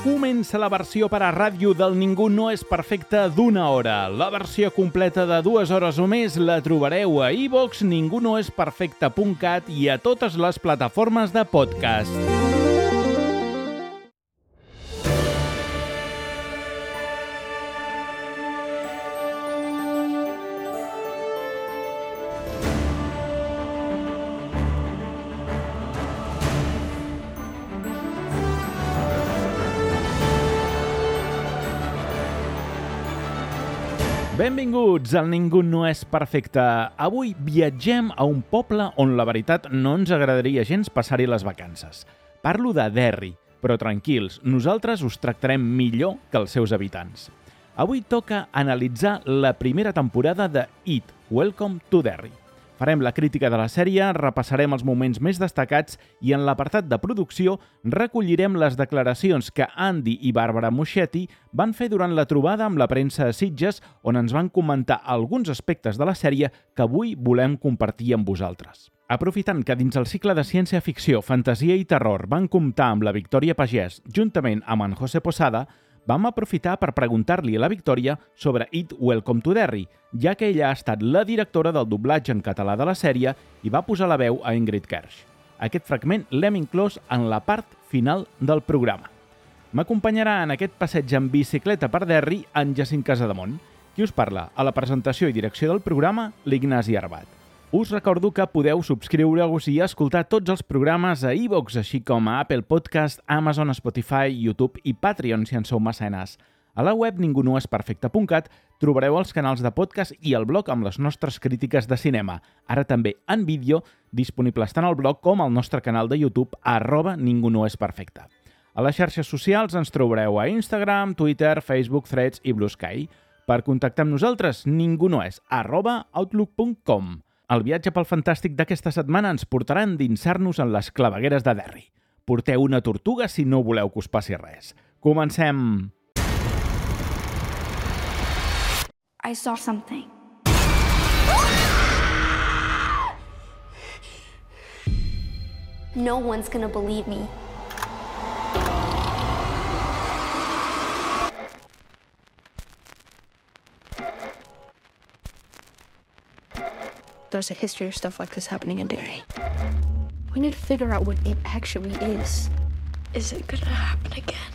Comença la versió per a ràdio del Ningú no és perfecte d'1 hora. La versió completa de 2 hores o més la trobareu a iVoox, ningunoesperfecte.cat i a totes les plataformes de podcast. Benvinguts al Ningú no és perfecte. Avui viatgem a un poble on la veritat no ens agradaria gens passar-hi les vacances. Parlo de Derry, però tranquils, nosaltres us tractarem millor que els seus habitants. Avui toca analitzar la primera temporada de It, Welcome to Derry. Farem la crítica de la sèrie, repassarem els moments més destacats i en l'apartat de producció recollirem les declaracions que Andy i Barbara Muschietti van fer durant la trobada amb la premsa a Sitges, on ens van comentar alguns aspectes de la sèrie que avui volem compartir amb vosaltres. Aprofitant que dins el cicle de ciència-ficció, fantasia i terror van comptar amb la Victòria Pagès juntament amb en José Posada, vam aprofitar per preguntar-li a la Victòria sobre It, Welcome to Derry, ja que ella ha estat la directora del doblatge en català de la sèrie i va posar la veu a Ingrid Kersh. Aquest fragment l'hem inclòs en la part final del programa. M'acompanyarà en aquest passeig en bicicleta per Derry en Jacint Casademont. Qui us parla? A la presentació i direcció del programa, l'Ignasi Arbat. Us recordo que podeu subscriure-us i escoltar tots els programes a iVoox, així com a Apple Podcast, Amazon, Spotify, YouTube i Patreon si en sou mecenes. A la web ningunoesperfecte.cat trobareu els canals de podcast i el blog amb les nostres crítiques de cinema. Ara també en vídeo, disponibles tant al blog com al nostre canal de YouTube @ningunoesperfecte. A les xarxes socials ens trobareu a Instagram, Twitter, Facebook, Threads i Blue Sky. Per contactar amb nosaltres, ningunoes@outlook.com. El viatge pel fantàstic d'aquesta setmana ens portarà a endinsar-nos en les clavegueres de Derry. Porteu una tortuga si no voleu que us passi res. Comencem! I saw something. No one's gonna believe me. There's a history of stuff like this happening in Derry. We need to figure out what it actually is. Is it gonna happen again?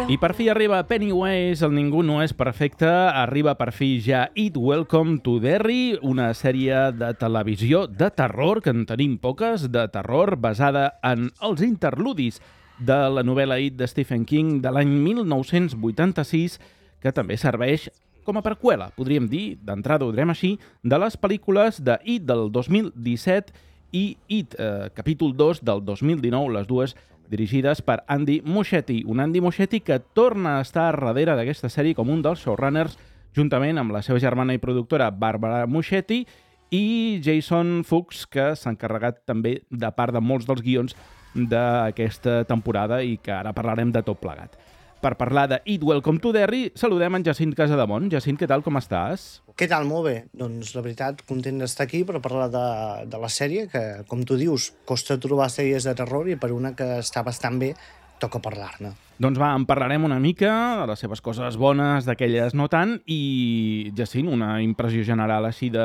I per fi arriba Pennywise, el Ningú no és perfecte, arriba per fi ja It, Welcome to Derry, una sèrie de televisió de terror, que en tenim poques, de terror, basada en els interludis de la novel·la It de Stephen King de l'any 1986, que també serveix com a preqüela, podríem dir, d'entrada ho direm així, de les pel·lícules de It del 2017 i It, capítol 2 del 2019, les dues dirigides per Andy Muschietti. Un Andy Muschietti que torna a estar darrere d'aquesta sèrie com un dels showrunners, juntament amb la seva germana i productora Barbara Muschietti i Jason Fuchs, que s'ha encarregat també de part de molts dels guions d'aquesta temporada i que ara parlarem de tot plegat. Per parlar de It, Welcome to Derry, saludem en Jacint Casademont. Jacint, què tal, com estàs? Què tal? Molt bé. Doncs la veritat, content d'estar aquí per parlar de la sèrie, que, com tu dius, costa trobar sèries de terror i per una que està bastant bé, toca parlar-ne. Doncs va, en parlarem una mica, de les seves coses bones, d'aquelles no tant, i, Jacint, una impressió general així de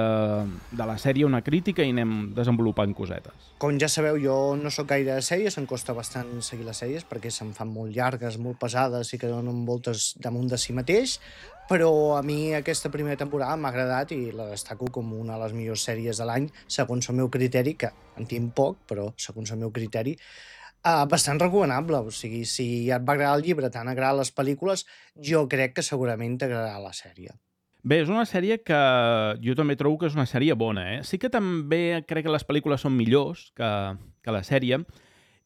la sèrie, una crítica, i anem desenvolupant cosetes. Com ja sabeu, jo no sóc gaire de sèries, em costa bastant seguir les sèries perquè se'm fan molt llargues, molt pesades i que donen voltes damunt de si mateix, però a mi aquesta primera temporada m'ha agradat i la destaco com una de les millors sèries de l'any, segons el meu criteri, que en tinc poc, però segons el meu criteri, bastant recomanable. O sigui, si ja et va agradar el llibre, t'han agradat les pel·lícules, jo crec que segurament t'agradarà la sèrie. Bé, és una sèrie que jo també trobo que és una sèrie bona, eh? Sí que també crec que les pel·lícules són millors que la sèrie,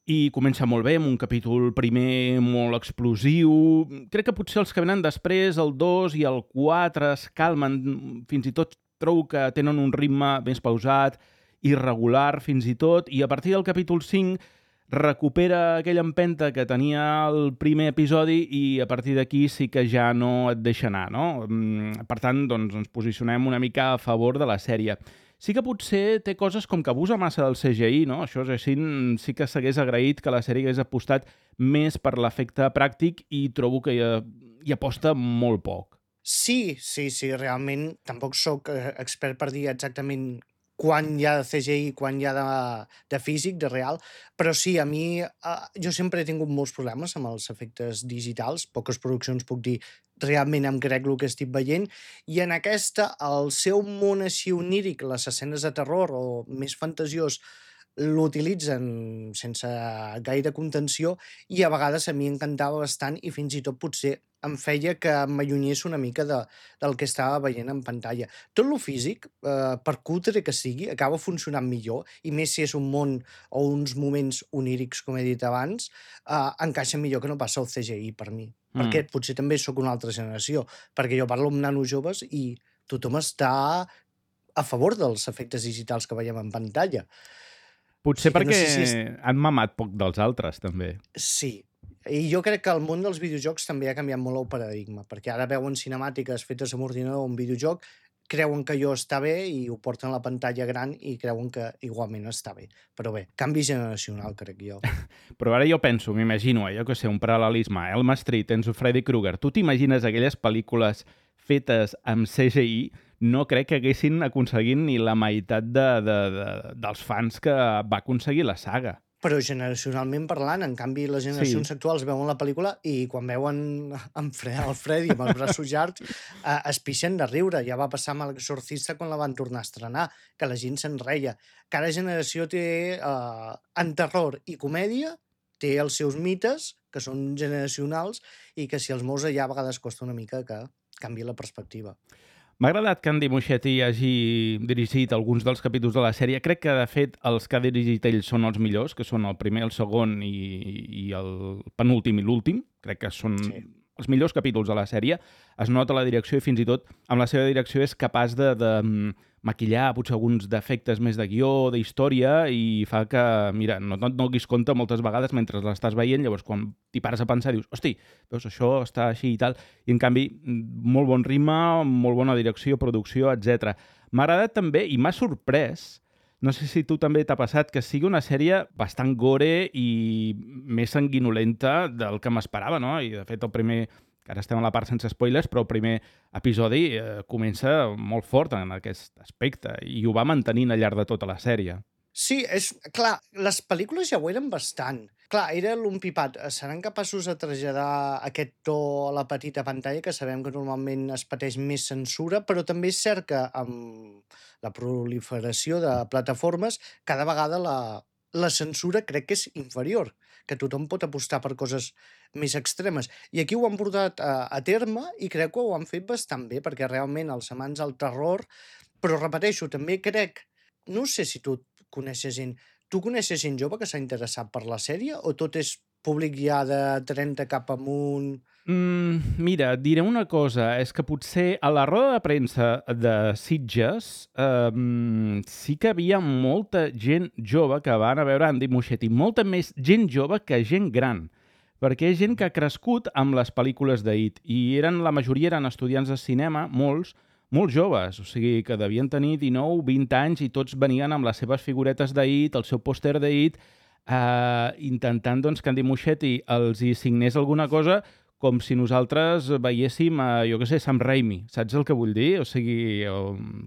i comença molt bé, amb un capítol primer molt explosiu. Crec que potser els que venen després, el 2 i el 4, es calmen. Fins i tot trobo que tenen un ritme més pausat, irregular fins i tot, i a partir del capítol 5 recupera aquella empenta que tenia el primer episodi i a partir d'aquí sí que ja no et deixa anar, no? Per tant, doncs, ens posicionem una mica a favor de la sèrie. Sí que potser té coses com que abusa massa del CGI, no? Això és així, sí que s'hagués agraït que la sèrie hagués apostat més per l'efecte pràctic i trobo que hi aposta molt poc. Sí, realment tampoc sóc expert per dir exactament quan hi ha de CGI i quan hi ha de físic, de real, però sí, a mi jo sempre he tingut molts problemes amb els efectes digitals, poques produccions puc dir realment em crec el que estic veient, i en aquesta, el seu món així oníric, les escenes de terror o més fantasiós, l'utilitzen sense gaire contenció i a vegades a mi encantava bastant i fins i tot potser em feia que m'allunyés una mica del que estava veient en pantalla. Tot lo físic, per cutre que sigui, acaba funcionant millor, i més si és un món o uns moments onírics, com he dit abans, encaixa millor que no passa el CGI per mi. Perquè potser també sóc una altra generació, perquè jo parlo amb nanos joves i tothom està a favor dels efectes digitals que veiem en pantalla. Potser Sí que no perquè sé si han mamat poc dels altres, també. Sí, i jo crec que el món dels videojocs també ha canviat molt el paradigma, perquè ara veuen cinemàtiques fetes amb ordinador o un videojoc, creuen que allò està bé i ho porten a la pantalla gran i creuen que igualment està bé. Però bé, canvi generacional, crec jo. Però ara jo penso, m'imagino, jo que sé, un paral·lelisme, Elm Street, tens Freddy Krueger, tu t'imagines aquelles pel·lícules fetes amb CGI? No crec que haguessin aconseguit ni la meitat dels fans que va aconseguir la saga. Però generacionalment parlant, en canvi, les generacions actuals veuen la pel·lícula i quan veuen el Freddy amb els braços llargs es pixen de riure. Ja va passar amb l'Exorcista quan la van tornar a estrenar, que la gent se'n reia. Cada generació té, en terror i comèdia, té els seus mites, que són generacionals, i que si els mous allà a vegades costa una mica que canvi la perspectiva. M'ha agradat que Andy Muschietti hagi dirigit alguns dels capítols de la sèrie. Crec que, de fet, els que ha dirigit ell són els millors, que són el primer, el segon i el penúltim i l'últim. Crec que són els millors capítols de la sèrie. Es nota la direcció i fins i tot amb la seva direcció és capaç de maquillar potser alguns defectes més de guió, d'història, i fa que, mira, no et donis compte moltes vegades mentre l'estàs veient, llavors quan t'hi pares a pensar dius, hosti, veus, això està així i tal, i en canvi, molt bon ritme, molt bona direcció, producció, etc. M'ha agradat també, i m'ha sorprès, no sé si tu també t'ha passat, que sigui una sèrie bastant gore i més sanguinolenta del que m'esperava, no? I de fet el primer, que ara estem a la part sense spoilers, però el primer episodi comença molt fort en aquest aspecte i ho va mantenint al llarg de tota la sèrie. Sí, clar, les pel·lícules ja ho eren bastant. Clar, era l'umpipat. Seran capaços de traslladar aquest to a la petita pantalla, que sabem que normalment es pateix més censura, però també és cert que amb la proliferació de plataformes, cada vegada la censura crec que és inferior, que tothom pot apostar per coses més extremes. I aquí ho han portat a terme i crec que ho han fet bastant bé, perquè realment els amants del terror, però repeteixo, també crec, no sé si tu coneixes gent, tu coneixes gent jove que s'ha interessat per la sèrie o tot és públic ja de 30 cap amunt? Mira, et diré una cosa, és que potser a la roda de premsa de Sitges sí que havia molta gent jove que va anar a veure Andy Muschietti, molta més gent jove que gent gran, perquè és gent que ha crescut amb les pel·lícules d'It i la majoria eren estudiants de cinema, molts joves, o sigui que devien tenir 19, 20 anys i tots venien amb les seves figuretes d'It, el seu pòster d'It, intentant doncs, que Andy Muschietti els hi signés alguna cosa com si nosaltres veiéssim, jo què sé, Sam Raimi, saps el que vull dir? O sigui,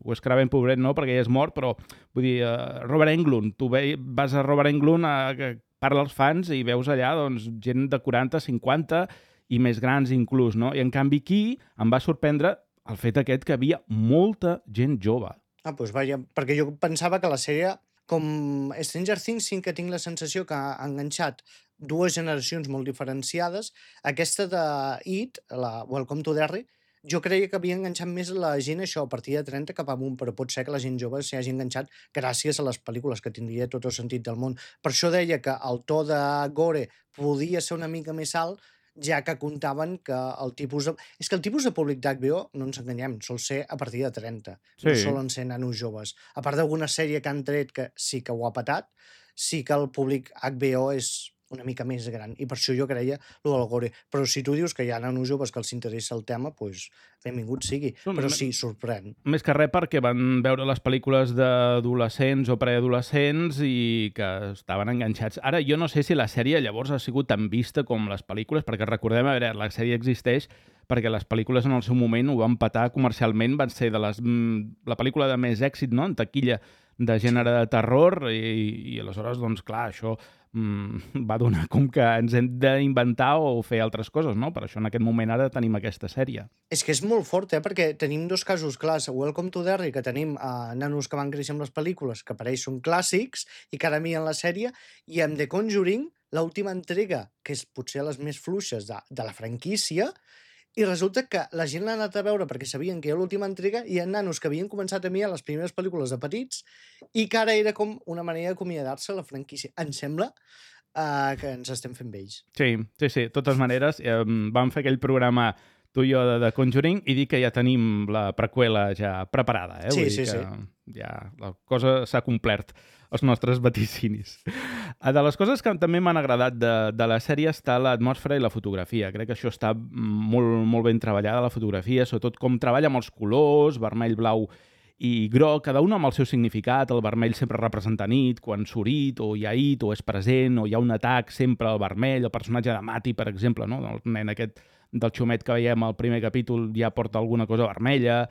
Wes Craven, pobret, no, perquè ja és mort, però vull dir, Robert Englund, tu vas a Robert Englund que parla als fans i veus allà doncs, gent de 40, 50 i més grans inclús, no? I en canvi aquí em va sorprendre el fet aquest que havia molta gent jove. Doncs vaja, perquè jo pensava que la sèrie, com Stranger Things, sí que tinc la sensació que ha enganxat dues generacions molt diferenciades. Aquesta de It, la Welcome to Derry, jo creia que havia enganxat més la gent això a partir de 30 cap amunt, però pot ser que la gent jove s'hi hagi enganxat gràcies a les pel·lícules, que tindria tot el sentit del món. Per això deia que el to de gore podia ser una mica més alt, ja que comptaven que el tipus de... És que el tipus de públic d'HBO, no ens enganyem, sol ser a partir de 30. Sí. No solen ser nanos joves. A part d'alguna sèrie que han tret que sí que ho ha patat, sí que el públic HBO és una mica més gran. I per això jo creia lo del gore. Però si tu dius que hi ha nanos joves que els interessa el tema, doncs benvingut sigui. Però sí, sorprèn. Més que res perquè van veure les pel·lícules d'adolescents o preadolescents i que estaven enganxats. Ara, jo no sé si la sèrie llavors ha sigut tan vista com les pel·lícules, perquè recordem, a veure, la sèrie existeix perquè les pel·lícules en el seu moment ho van petar comercialment, van ser la pel·lícula de més èxit, no?, en taquilla de gènere de terror i aleshores, doncs clar, això va donar com que ens hem d'inventar o fer altres coses, no? Per això en aquest moment ara tenim aquesta sèrie. És que és molt fort, perquè tenim dos casos clars. Welcome to Derry, que tenim nanos que van créixer amb les pel·lícules, que per ells són clàssics i que ara miren la sèrie, i amb The Conjuring, l'última entrega, que és potser les més fluixes de la franquícia, i resulta que la gent l'ha anat a veure perquè sabien que era l'última entrega i hi ha nanos que havien començat a mirar les primeres pel·lícules de petits i que ara era com una manera d'acomiadar-se a la franquícia. Em sembla que ens estem fent vells. Sí. De totes maneres, vam fer aquell programa tu i jo de Conjuring i dir que ja tenim la preqüela ja preparada. Sí, Vull dir que ja la cosa s'ha complert, els nostres vaticinis. De les coses que també m'han agradat de la sèrie està l'atmosfera i la fotografia. Crec que això està molt, molt ben treballada, la fotografia, sobretot com treballa amb els colors, vermell, blau i groc, cada un amb el seu significat. El vermell sempre representa nit, quan surt o hi ha it, o és present, o hi ha un atac, sempre el vermell. El personatge de Mati, per exemple, no?, el nen aquest del xumet que veiem al primer capítol ja porta alguna cosa vermella.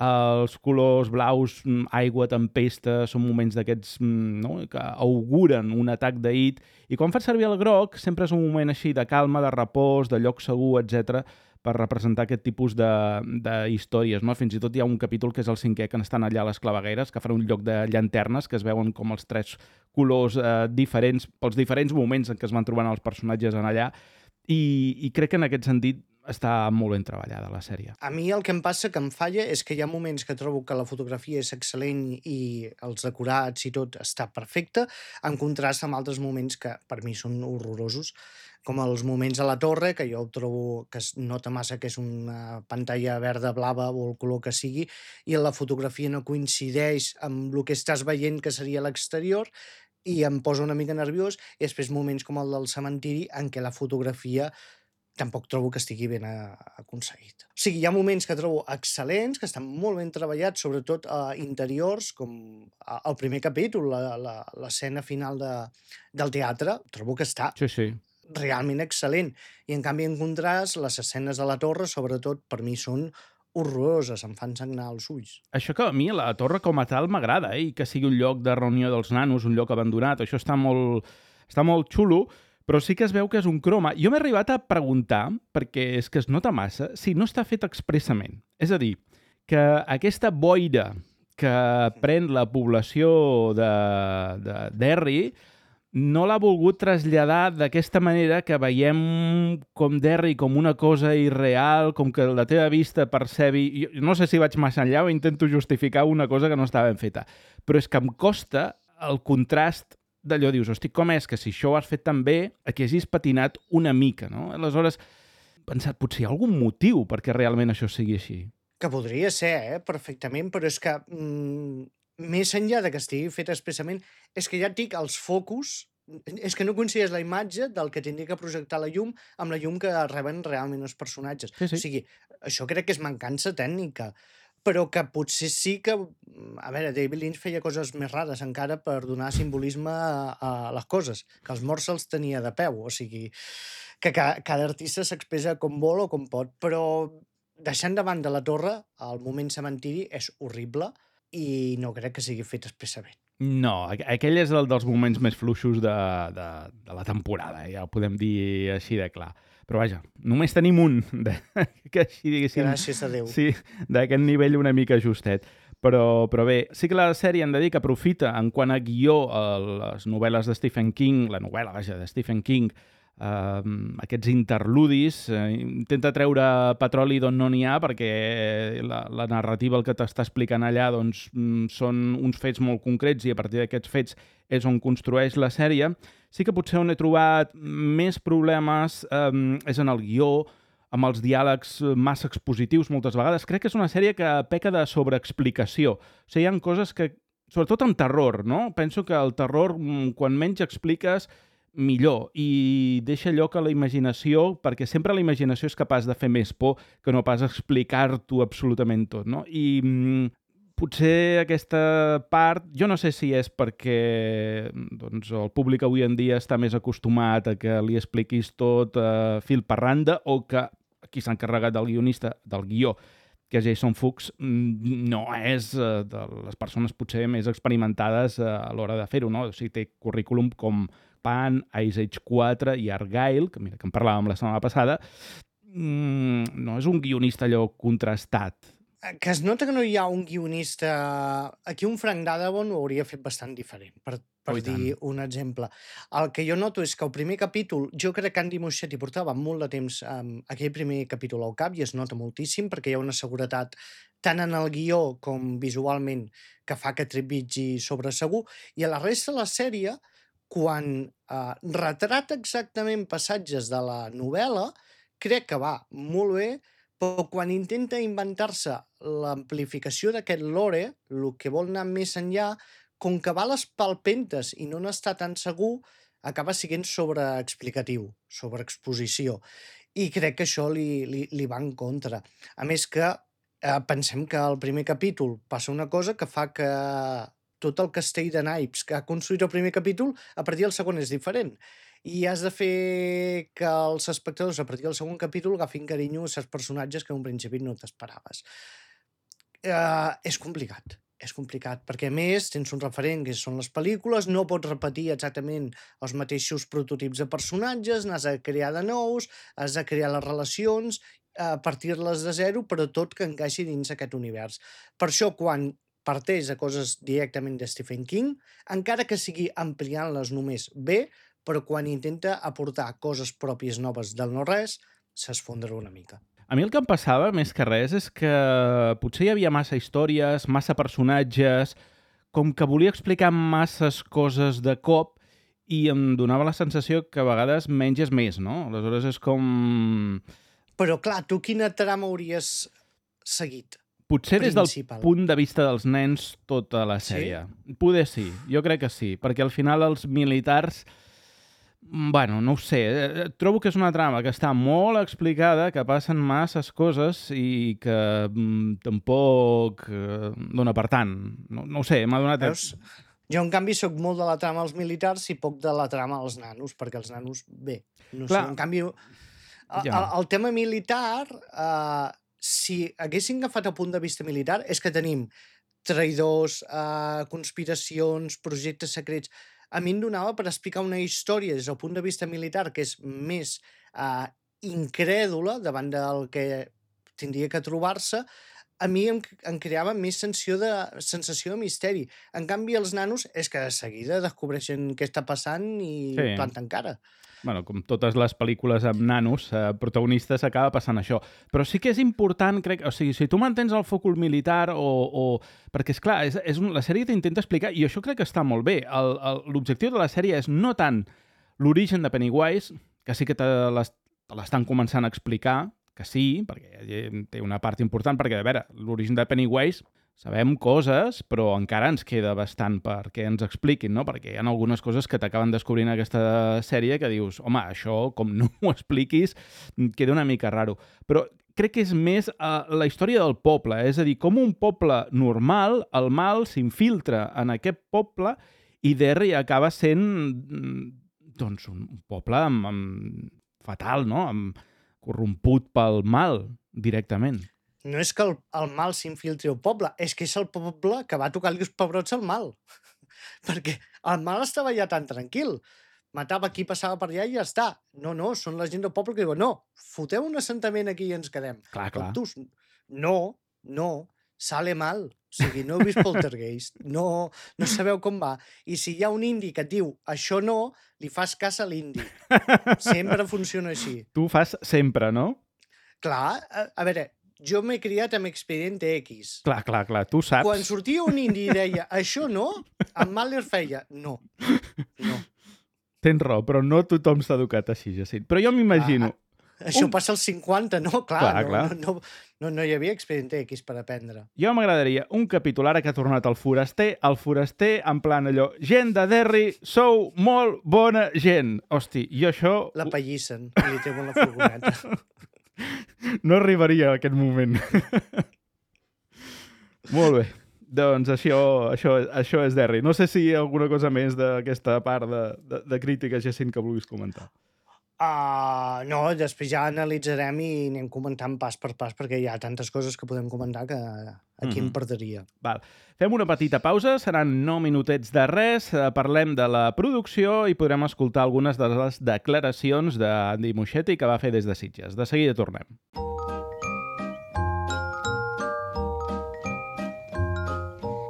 Els colors blaus, aigua, tempesta, són moments d'aquests, no?, que auguren un atac d'it. I quan fas servir el groc, sempre és un moment així de calma, de repòs, de lloc segur, etc, per representar aquest tipus d'històries, no? Fins i tot hi ha un capítol que és el 5è, que estan allà a les clavegueres, que fan un lloc de llanternes, que es veuen com els 3 colors diferents, pels diferents moments en què es van trobant els personatges en allà, i crec que en aquest sentit està molt ben treballada la sèrie. A mi el que em passa, que em falla, és que hi ha moments que trobo que la fotografia és excel·lent i els decorats i tot està perfecte, en contrast amb altres moments que per mi són horrorosos, com els moments a la torre, que jo trobo que es nota massa que és una pantalla verda, blava o el color que sigui, i la fotografia no coincideix amb el que estàs veient que seria l'exterior, i em posa una mica nerviós, i després moments com el del cementiri en què la fotografia tampoc trobo que estigui ben aconseguit. O sigui, hi ha moments que trobo excel·lents, que estan molt ben treballats, sobretot interiors, com el primer capítol, l'escena final del teatre, trobo que està realment excel·lent. I en canvi, en contrast, les escenes de la torre, sobretot, per mi són horroroses, em fan sagnar els ulls. Això que a mi la torre com a tal m'agrada, i que sigui un lloc de reunió dels nanos, un lloc abandonat, això està molt xulo, però sí que es veu que és un croma. Jo m'he arribat a preguntar, perquè és que es nota massa, si no està fet expressament. És a dir, que aquesta boira que pren la població de Derry no l'ha volgut traslladar d'aquesta manera que veiem com Derry com una cosa irreal, com que la teva vista percebi... Jo no sé si vaig massa enllà o intento justificar una cosa que no estava ben feta, però és que em costa el contrast d'allò, dius, hosti, com és que si això ho has fet tan bé, aquí hagis patinat una mica, no? Aleshores, he pensat, potser hi ha algun motiu perquè realment això sigui així. Que podria ser, perfectament, però és que més enllà de que estigui fet expressament, és que ja et dic, els focus, és que no coincideix la imatge del que tindria que projectar la llum amb la llum que reben realment els personatges. Sí. O sigui, això crec que és mancança tècnica, però que potser sí que... A veure, David Lynch feia coses més rares encara per donar simbolisme a les coses, que els morts se'ls tenia de peu, o sigui, que cada artista s'expressa com vol o com pot, però deixant davant de la torre, el moment cementiri és horrible i no crec que sigui fet expressament. No, aquell és el dels moments més fluixos de la temporada, ja ho podem dir així de clar. Però vaja, només tenim un, que així diguéssim... Gràcies a Déu. Sí, d'aquest nivell una mica justet. Però bé, sí que la sèrie hem de dir que aprofita en quant a guió les novel·les de Stephen King, la novel·la, vaja, de Stephen King, aquests interludis, intenta treure petroli d'on no n'hi ha, perquè la narrativa, el que t'està explicant allà, doncs, són uns fets molt concrets i a partir d'aquests fets és on construeix la sèrie. Sí que potser on he trobat més problemes és en el guió, amb els diàlegs massa expositius moltes vegades. Crec que és una sèrie que peca de sobreexplicació. O sigui, hi ha coses que, sobretot en terror, no? Penso que el terror, quan menys expliques, millor i deixa lloc a la imaginació, perquè sempre la imaginació és capaç de fer més por que no pas explicar-t'ho absolutament tot, no? I potser aquesta part, jo no sé si és perquè doncs, el públic avui en dia està més acostumat a que li expliquis tot fil per randa o que qui s'ha encarregat del guionista, del guió, que Jason Fuchs no és de les persones potser més experimentades a l'hora de fer-ho, no? O sigui, té currículum com Pan, Ice Age 4 i Argyle, que mira que en parlàvem la setmana passada, no és un guionista allò contrastat. Que es nota que no hi ha un guionista... Aquí un Frank Darabont ho hauria fet bastant diferent, per dir un exemple. El que jo noto és que el primer capítol, jo crec que Andy Muschietti portava molt de temps aquell primer capítol al cap i es nota moltíssim perquè hi ha una seguretat tant en el guió com visualment que fa que trepitgi sobre segur, i a la resta de la sèrie, quan retrata exactament passatges de la novel·la, crec que va molt bé, però quan intenta inventar-se l'amplificació d'aquest lore, el que vol anar més enllà, com que va a les palpentes i no n'està tan segur, acaba sent sobreexplicatiu, sobreexposició. I crec que això li va en contra. A més que pensem que al primer capítol passa una cosa que fa que tot el castell de naips que ha construït el primer capítol, a partir del segon és diferent. I has de fer que els espectadors, a partir del segon capítol, agafin carinyo a certs personatges que en un principi no t'esperaves. És complicat, perquè a més tens un referent que són les pel·lícules, no pots repetir exactament els mateixos prototips de personatges, n'has de crear de nous, has de crear les relacions, partir-les de zero, però tot que encaixi dins aquest univers. Per això, quan parteix de coses directament de Stephen King, encara que sigui ampliant-les només bé, però quan intenta aportar coses pròpies noves del no-res, s'esfondra una mica. A mi el que em passava, més que res, és que potser hi havia massa històries, massa personatges, com que volia explicar masses coses de cop i em donava la sensació que a vegades menys és més, no? Aleshores és com... Però clar, tu quina trama hauries seguit? Potser des del punt de vista dels nens tota la sèrie. Sí? Poder sí, jo crec que sí, perquè al final els militars... Bueno, no ho sé, trobo que és una trama que està molt explicada, que passen masses coses i que tampoc dona per tant. No ho sé, m'ha donat... Veus? Jo, en canvi, sóc molt de la trama als militars i poc de la trama als nanos, perquè els nanos, bé, no sé, en canvi... El tema militar, si haguessin agafat el punt de vista militar, és que tenim traïdors, conspiracions, projectes secrets... A mi em donava per explicar una història des del punt de vista militar que és més incrèdula davant del que tindria que trobar-se, a mi em creava més sensació de misteri. En canvi, els nanos és que de seguida descobreixen què està passant i planten cara. Bueno, com totes les pel·lícules amb nanos, protagonistes, acaba passant això. Però sí que és important, crec... O sigui, si tu mantens el focus militar perquè, esclar, la sèrie t'intenta explicar, i això crec que està molt bé. L'objectiu de la sèrie és no tant l'origen de Pennywise, que sí que te l'estan començant a explicar, que sí, perquè té una part important, perquè, a veure, l'origen de Pennywise... Sabem coses, però encara ens queda bastant perquè ens expliquin, no? Perquè hi ha algunes coses que t'acaben descobrint aquesta sèrie que dius, home, això, com no ho expliquis, queda una mica raro. Però crec que és més la història del poble, és a dir, com un poble normal, el mal s'infiltra en aquest poble i Derry acaba sent doncs, un poble fatal, no? Corromput pel mal, directament. No és que el mal s'infiltri al poble, és que és el poble que va tocar-li els pebrots al mal. Perquè el mal estava ja tan tranquil. Matava qui passava per allà i ja està. No, són la gent del poble que diuen no, foteu un assentament aquí i ens quedem. Clar. No, sale mal. O sigui, no heu vist Poltergeist, no sabeu com va. I si hi ha un indi que et diu això no, li fas cas a l'indi. Sempre funciona així. Tu fas sempre, no? Clar, a veure... Jo m'he criat amb Expedient X. Clar, tu saps. Quan sortia un indi i deia això no, en Mahler feia no. Tens raó, però no tothom s'ha educat així, Jacint. Però jo m'imagino Això passa als 50, no? Clar. No hi havia Expedient X per aprendre. Jo m'agradaria un capítol ara que ha tornat el foraster en plan allò, gent de Derry, sou molt bona gent. Hosti, jo això... La pallissen i li treuen la furgoneta. No arribaria a aquest moment. Molt bé. Doncs això és Derry. No sé si hi ha alguna cosa més d'aquesta part de crítica, Jacint, que vulguis comentar. No, després ja analitzarem i anem comentant pas per pas, perquè hi ha tantes coses que podem comentar que aquí em perderia. Val. Fem una petita pausa, seran 9 minutets de res, parlem de la producció i podrem escoltar algunes de les declaracions d'Andy Muschietti que va fer des de Sitges. De seguida tornem.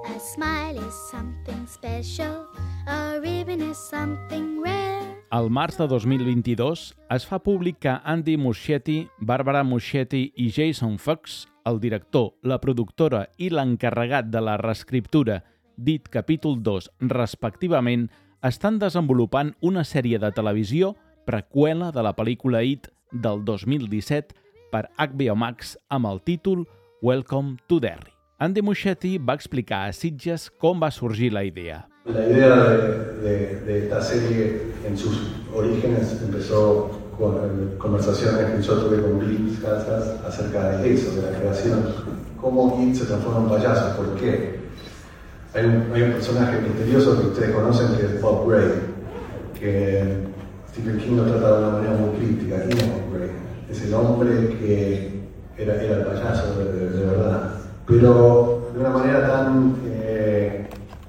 A smile is something special, a ribbon is something rare. Al març de 2022 es fa públic que Andy Muschietti, Barbara Muschietti i Jason Fox, el director, la productora i l'encarregat de la reescriptura d'It capítol 2, respectivament, estan desenvolupant una sèrie de televisió preqüela de la pel·lícula It del 2017 per HBO Max amb el títol Welcome to Derry. Andy Muschietti va explicar a Sitges com va sorgir la idea. La idea de esta serie en sus orígenes empezó con conversaciones que yo tuve con Bill Casas acerca de eso, de la creación. ¿Cómo It se transforma en un payaso? ¿Por qué? Hay un personaje misterioso que ustedes conocen que es Bob Gray, que Stephen King lo trata de una manera muy crítica. ¿Quién es Bob Gray? Es el hombre que era el payaso de verdad, pero de una manera tan...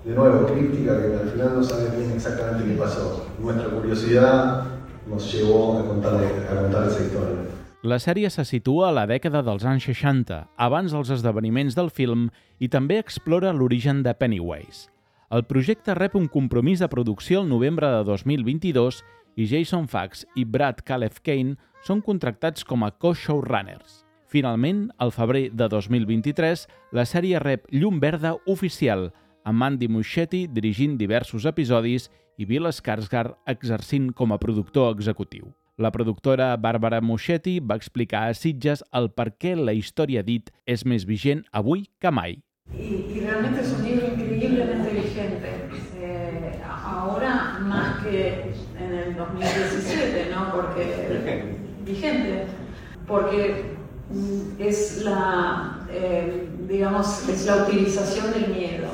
de nuevo, críptica, que al final no sabe bien exactamente qué pasó. Nuestra curiosidad nos llevó a contar esa història. La sèrie se situa a la dècada dels anys 60, abans dels esdeveniments del film, i també explora l'origen de Pennywise. El projecte rep un compromís de producció el novembre de 2022 i Jason Fox i Brad Caleb Kane són contractats com a co-showrunners. Finalment, al febrer de 2023, la sèrie rep llum verda oficial, amb Andy Muschietti dirigint diversos episodis i Bill Skarsgård exercint com a productor executiu. La productora Barbara Muschietti va explicar a Sitges el per què la història d'It és més vigent avui que mai. Y realmente es un libro increíblemente vigente, ahora más que en el 2017, ¿no? Porque es la, es la utilización del miedo,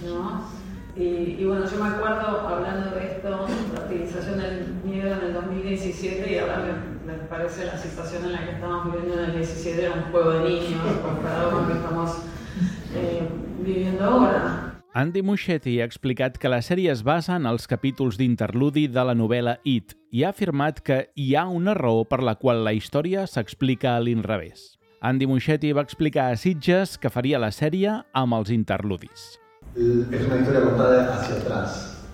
¿no? Y bueno, yo me acuerdo hablando de esto, la utilización del miedo en el 2017, y ahora me parece la situación en la que estamos viviendo en el 17 era un juego de niños comparado con lo que estamos viviendo ahora. Andy Muschietti ha explicat que la sèrie es basa en els capítols d'interludi de la novel·la It i ha afirmat que hi ha una raó per la qual la història s'explica a l'inrevés. Andy Muschietti va explicar a Sitges que faria la sèrie amb els interludis. Es una historia contada hacia atrás.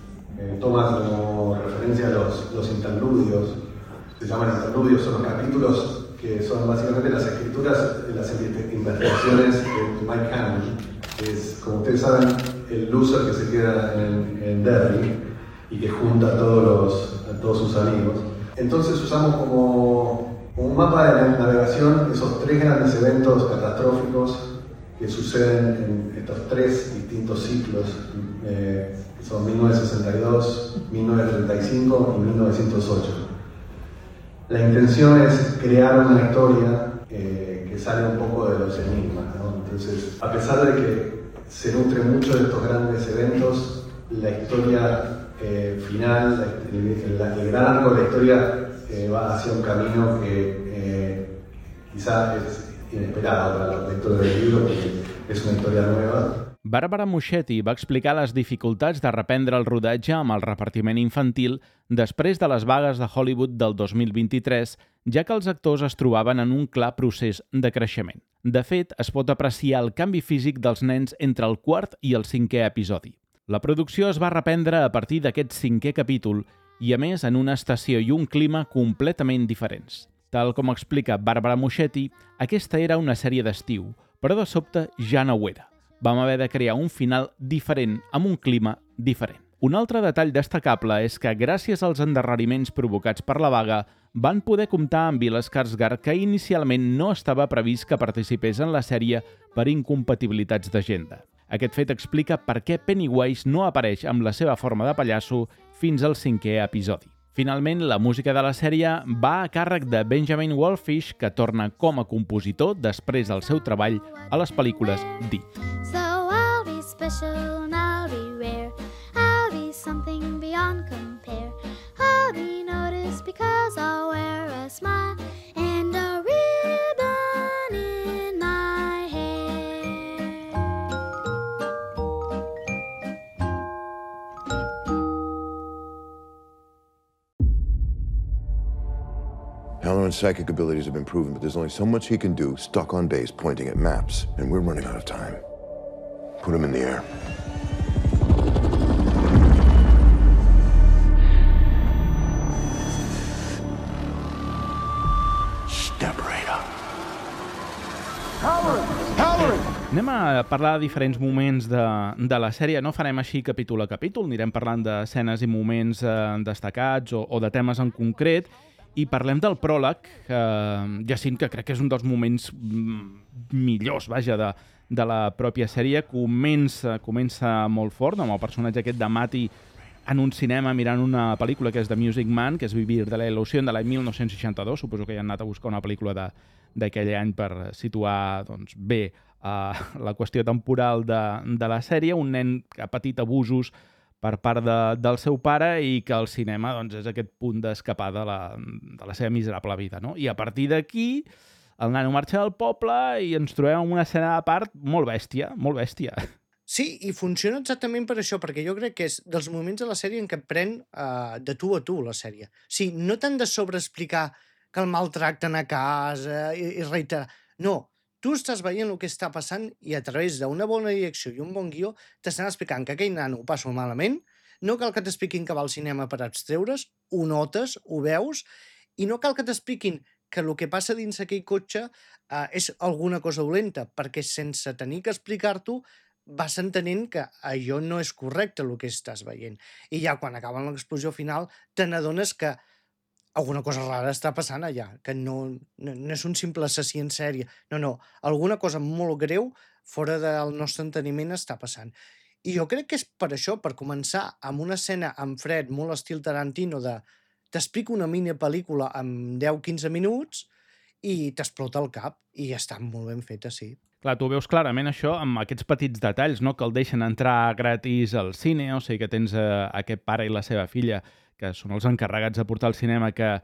Toma como referencia los interludios. Se llaman interludios, son los capítulos que son básicamente las escrituras, las investigaciones de Mike Hanley, que es, como ustedes saben, el loser que se queda en Derry y que junta a todos sus amigos. Entonces usamos como un mapa de navegación esos tres grandes eventos catastróficos que suceden en estos tres distintos ciclos, que son 1962, 1935 y 1908. La intención es crear una historia que sale un poco de los enigmas, ¿no? Entonces, a pesar de que se nutre mucho de estos grandes eventos, la historia final, el gran arco de la historia va hacia un camino que quizás es inesperado para los lectores del libro, porque es una historia nueva. Barbara Muschietti va explicar les dificultats de reprendre el rodatge amb el repartiment infantil després de les vagues de Hollywood del 2023, ja que els actors es trobaven en un clar procés de creixement. De fet, es pot apreciar el canvi físic dels nens entre el quart i el cinquè episodi. La producció es va reprendre a partir d'aquest cinquè capítol i, a més, en una estació i un clima completament diferents. Tal com explica Barbara Muschietti, aquesta era una sèrie d'estiu, però de sobte ja no ho era. Vam haver de crear un final diferent, amb un clima diferent. Un altre detall destacable és que, gràcies als endarreriments provocats per la vaga, van poder comptar amb Bill Skarsgård, que inicialment no estava previst que participés en la sèrie per incompatibilitats d'agenda. Aquest fet explica per què Pennywise no apareix amb la seva forma de pallasso fins al 5è episodi. Finalment, la música de la sèrie va a càrrec de Benjamin Wallfish, que torna com a compositor després del seu treball a les pel·lícules d'It. So I'll be special and I'll be rare. I'll be something beyond compare. I'll be noticed because I'll wear a smile and a ribbon in my hair. Halloran's psychic abilities have been proven, but there's only so much he can do stuck on base pointing at maps, and we're running out of time. Put him in the air. Step right up. Halloran! Anem a parlar de diferents moments de la sèrie. No farem així capítol a capítol, anirem parlant d'escenes i moments destacats o de temes en concret, i parlem del pròleg, Jacint, que crec que és un dels moments millors, vaja, de la pròpia sèrie. Comença molt fort, amb el personatge aquest de Matty en un cinema mirant una pel·lícula que és The Music Man, que és Vivir de la il·lusió, de l'any 1962. Suposo que ja han anat a buscar una pel·lícula d'aquell any per situar bé la qüestió temporal de la sèrie. Un nen que ha patit abusos per part del seu pare i que el cinema és aquest punt d'escapar de la seva miserable vida, no? I a partir d'aquí el nano marxa del poble i ens trobem en una escena de part molt bèstia, molt bèstia. Sí, i funciona exactament per això, perquè jo crec que és dels moments de la sèrie en què pren de tu a tu la sèrie. Sí, no tant de sobreexplicar que el maltracten a casa i reiterar. No, tu estàs veient el que està passant i a través d'una bona direcció i un bon guió t'estan explicant que aquell nano ho passa malament, no cal que t'expliquin que va al cinema per abstreure's, ho notes, ho veus, i no cal que t'expliquin que el que passa dins aquell cotxe és alguna cosa dolenta, perquè sense tenir que explicar-t'ho vas entenent que allò no és correcte el que estàs veient. I ja quan acaba l'explosió final te n'adones que alguna cosa rara està passant allà, que no és un simple assassí en sèrie. No, alguna cosa molt greu fora del nostre enteniment està passant. I jo crec que és per això, per començar amb una escena en fred, molt estil Tarantino, t'explico una mini pel·lícula en 10-15 minuts i t'explota el cap, i està molt ben feta, sí. Clar, tu veus clarament això amb aquests petits detalls, no? Que el deixen entrar gratis al cine, o sigui que tens aquest pare i la seva filla, que són els encarregats de portar al cinema, que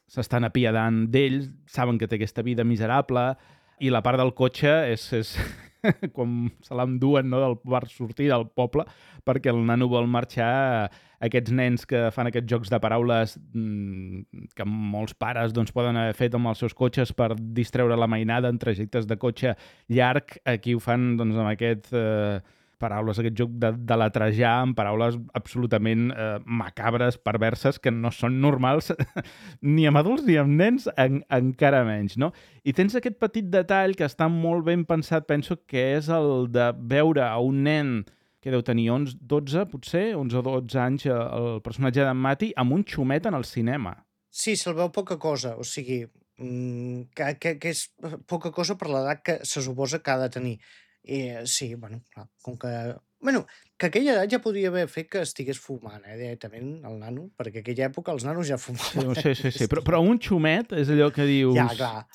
s'estan apiadant d'ell, saben que té aquesta vida miserable, i la part del cotxe és com se l'enduen, no?, per sortir del poble, perquè el nano vol marxar. Aquests nens que fan aquests jocs de paraules que molts pares poden haver fet amb els seus cotxes per distreure la mainada en trajectes de cotxe llarg, aquí ho fan amb aquest paraules, aquest joc de letrejar amb paraules absolutament macabres, perverses, que no són normals ni amb adults ni amb nens, encara menys, no? I tens aquest petit detall que està molt ben pensat, penso que és el de veure a un nen que deu tenir 12, potser, 11 o 12 anys, el personatge d'en Matty, amb un xumet en el cinema. Sí, se'l veu poca cosa, o sigui, que és poca cosa per l'edat que se suposa que ha de tenir. I sí, clar, com que... que aquella edat ja podria haver fet que estigués fumant, directament, el nano, perquè en aquella època els nanos ja fumaven. Sí, però un xumet és allò que dius... Ja, clar.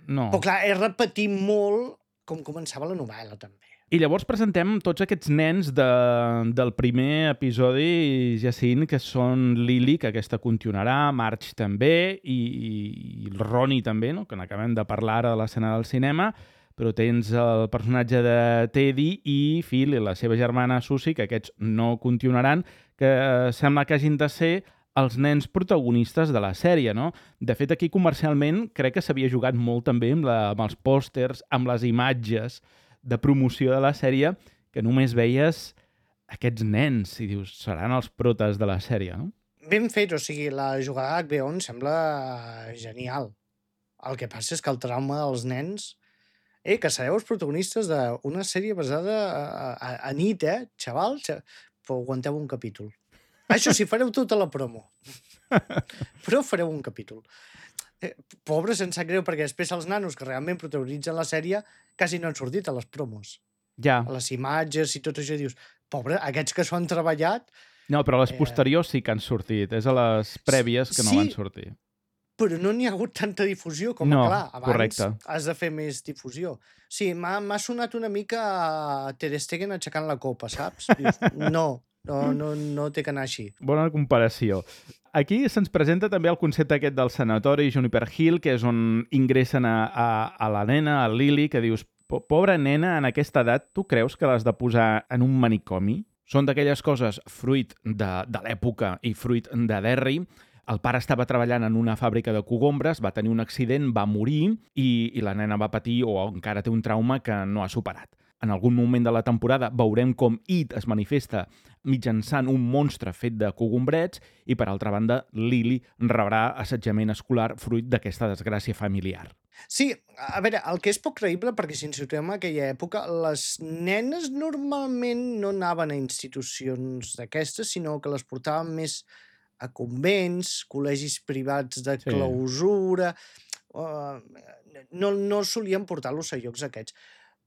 No. Però clar, és repetir molt com començava la novel·la, també. I llavors presentem tots aquests nens del primer episodi, Jacint, que són Lily, que aquesta continuarà, Marge també, i el Ronnie també, no?, que n'acabem de parlar ara de l'escena del cinema, però tens el personatge de Teddy i Phil i la seva germana Susie, que aquests no continuaran, que sembla que hagin de ser els nens protagonistes de la sèrie, no? De fet, aquí comercialment crec que s'havia jugat molt també amb els pòsters, amb les imatges de promoció de la sèrie, que només veies aquests nens i dius, seran els protes de la sèrie, no? Ben fet, o sigui, la jugada d'HBO em sembla genial. El que passa és que el trauma dels nens... que sereu els protagonistes d'una sèrie basada a nit, xaval? Però aguanteu un capítol. Això sí, fareu tota la promo. Però fareu un capítol. Pobre, se'n sap greu, perquè després els nanos que realment protagonitzen la sèrie quasi no han sortit a les promos. Ja. A les imatges i tot això, dius, pobre, aquests que s'ho han treballat... No, però les posteriors sí que han sortit. És a les prèvies que no van sortir. Però no n'hi ha hagut tanta difusió com, clar, abans has de fer més difusió. Sí, m'ha sonat una mica a Ter Stegen aixecant la copa, saps? Dius, no té que anar així. Bona comparació. Aquí se'ns presenta també el concepte aquest del sanatori Juniper Hill, que és on ingressen a la nena, a Lily, que dius, pobra nena, en aquesta edat, tu creus que l'has de posar en un manicomi? Són d'aquelles coses fruit de l'època i fruit de Derry. El pare estava treballant en una fàbrica de cogombres, va tenir un accident, va morir i la nena va patir o encara té un trauma que no ha superat. En algun moment de la temporada veurem com It es manifesta mitjançant un monstre fet de cogombrets i, per altra banda, Lily rebrà assetjament escolar fruit d'aquesta desgràcia familiar. Sí, a veure, el que és poc creïble, perquè si ens situem en aquella època, les nenes normalment no anaven a institucions d'aquestes, sinó que les portaven més a convents, col·legis privats de clausura... No solien portar-los a llocs aquests.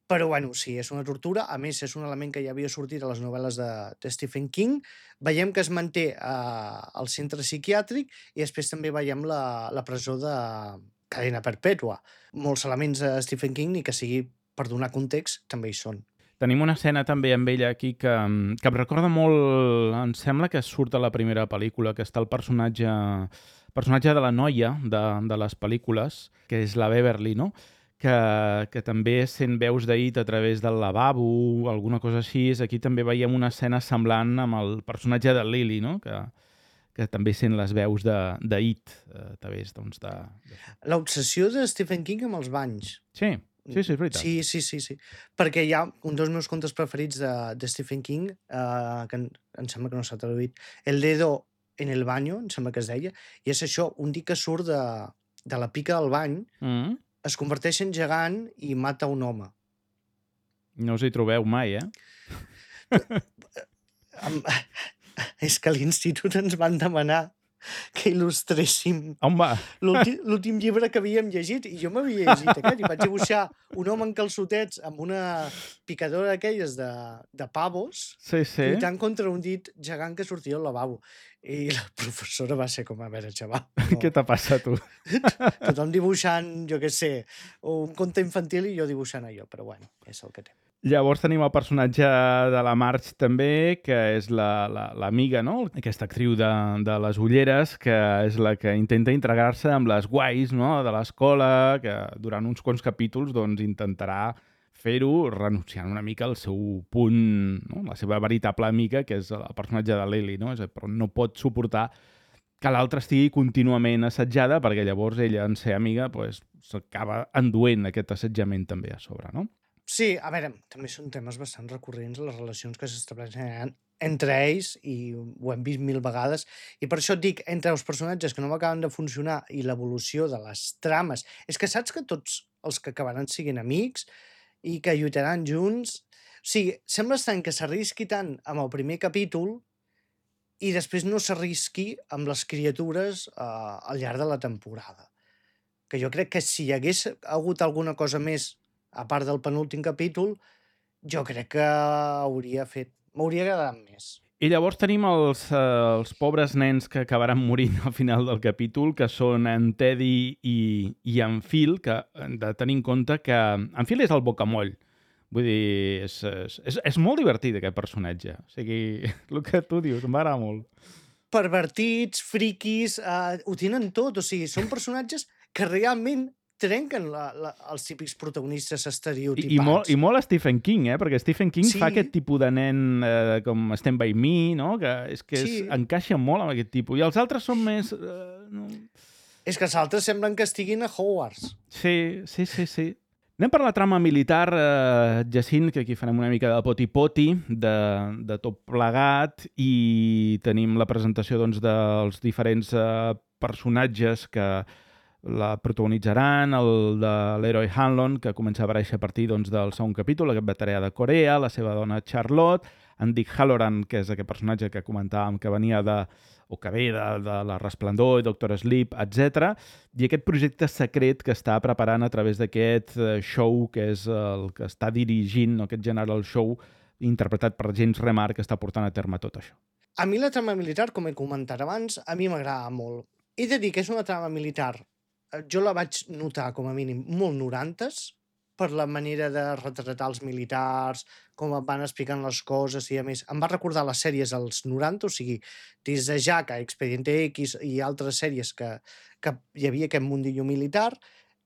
Però, bueno, sí, és una tortura. A més, és un element que ja havia sortit a les novel·les de Stephen King. Veiem que es manté al centre psiquiàtric i després també veiem la presó de cadena perpètua. Molts elements de Stephen King, ni que sigui per donar context, també hi són. Tenim una escena també amb ella aquí que em recorda molt... Em sembla que surt a la primera pel·lícula, que està el personatge de la noia de les pel·lícules, que és la Beverly, no? Que també sent veus d'It a través del lavabo, alguna cosa així. Aquí també veiem una escena semblant amb el personatge de Lily, no? Que també sent les veus d'It a través de... L'obsessió de Stephen King amb els banys. Sí, és veritat. Sí. Perquè hi ha un dels meus contes preferits de Stephen King, que em sembla que no s'ha traduït, El dedo en el baño, em sembla que es deia, i és això, un dia que surt de la pica del bany, es converteix en gegant i mata un home. No us hi trobeu mai, És que a l'institut ens van demanar que il·lustréssim l'últim llibre que havíem llegit, i jo m'havia llegit aquest, i vaig dibuixar un home en calçotets amb una picadora d'aquelles de pavos, lluitant contra un dit gegant que sortia al lavabo. I la professora va ser com, a veure, xaval... Què t'ha passat, tu? Tothom dibuixant, jo què sé, un conte infantil i jo dibuixant allò, però bueno, és el que té. Llavors tenim el personatge de la Marge també, que és l'amiga, no? Aquesta actriu de les ulleres, que és la que intenta integrar-se amb les guais, no? De l'escola, que durant uns quants capítols doncs, intentarà fer-ho renunciant una mica al seu punt, no? La seva veritable amiga, que és el personatge de Lily, no? Però no pot suportar que l'altra estigui contínuament assetjada, perquè llavors ella, en ser amiga, s'acaba enduent aquest assetjament també a sobre, no? Sí, a veure, també són temes bastant recurrents les relacions que s'estableixen entre ells i ho hem vist 1000 vegades i per això et dic, entre els personatges que no m'acaben de funcionar i l'evolució de les trames, és que saps que tots els que acabaran siguin amics i que lluitaran junts, o sigui, sembla estrany que s'arrisqui tant amb el primer capítol i després no s'arrisqui amb les criatures al llarg de la temporada. Que jo crec que si hi hagués hagut alguna cosa més a part del penúltim capítol, jo crec que m'hauria agradat més. I llavors tenim els pobres nens que acabaran morint al final del capítol, que són en Teddy i en Phil, que hem de tenir en compte que en Phil és el bocamoll. Vull dir, és molt divertit aquest personatge. O sigui, el que tu dius, m'agrada molt. Pervertits, friquis, ho tenen tot. O sigui, són personatges que realment trenquen els típics protagonistes estereotipats. I molt Stephen King, perquè Stephen King fa aquest tipus de nen com Stand By Me, no? Que encaixa molt amb aquest tipus. I els altres són més... És que els altres semblen que estiguin a Hogwarts. Sí. Anem per la trama militar, Jacint, que aquí farem una mica de poti-poti, de tot plegat, i tenim la presentació dels diferents personatges que la protagonitzaran, el de l'Heroi Hanlon, que comença a aparèixer a partir del segon capítol, aquest veterà de Corea, la seva dona Charlotte, en Dick Halloran, que és aquest personatge que comentàvem que venia o que ve de La Resplendor i Doctor Sleep, etc. I aquest projecte secret que està preparant a través d'aquest show, que és el que està dirigint, aquest General Show, interpretat per James Remar, que està portant a terme tot això. A mi la trama militar, com he comentat abans, a mi m'agrada molt. He de dir que és una trama militar, jo la vaig notar com a mínim molt 90s, per la manera de retratar els militars, com van explicant les coses i a més. Em va recordar les sèries als 90, o sigui, des de Jaca, Expediente X i altres sèries que hi havia aquest mundillo militar,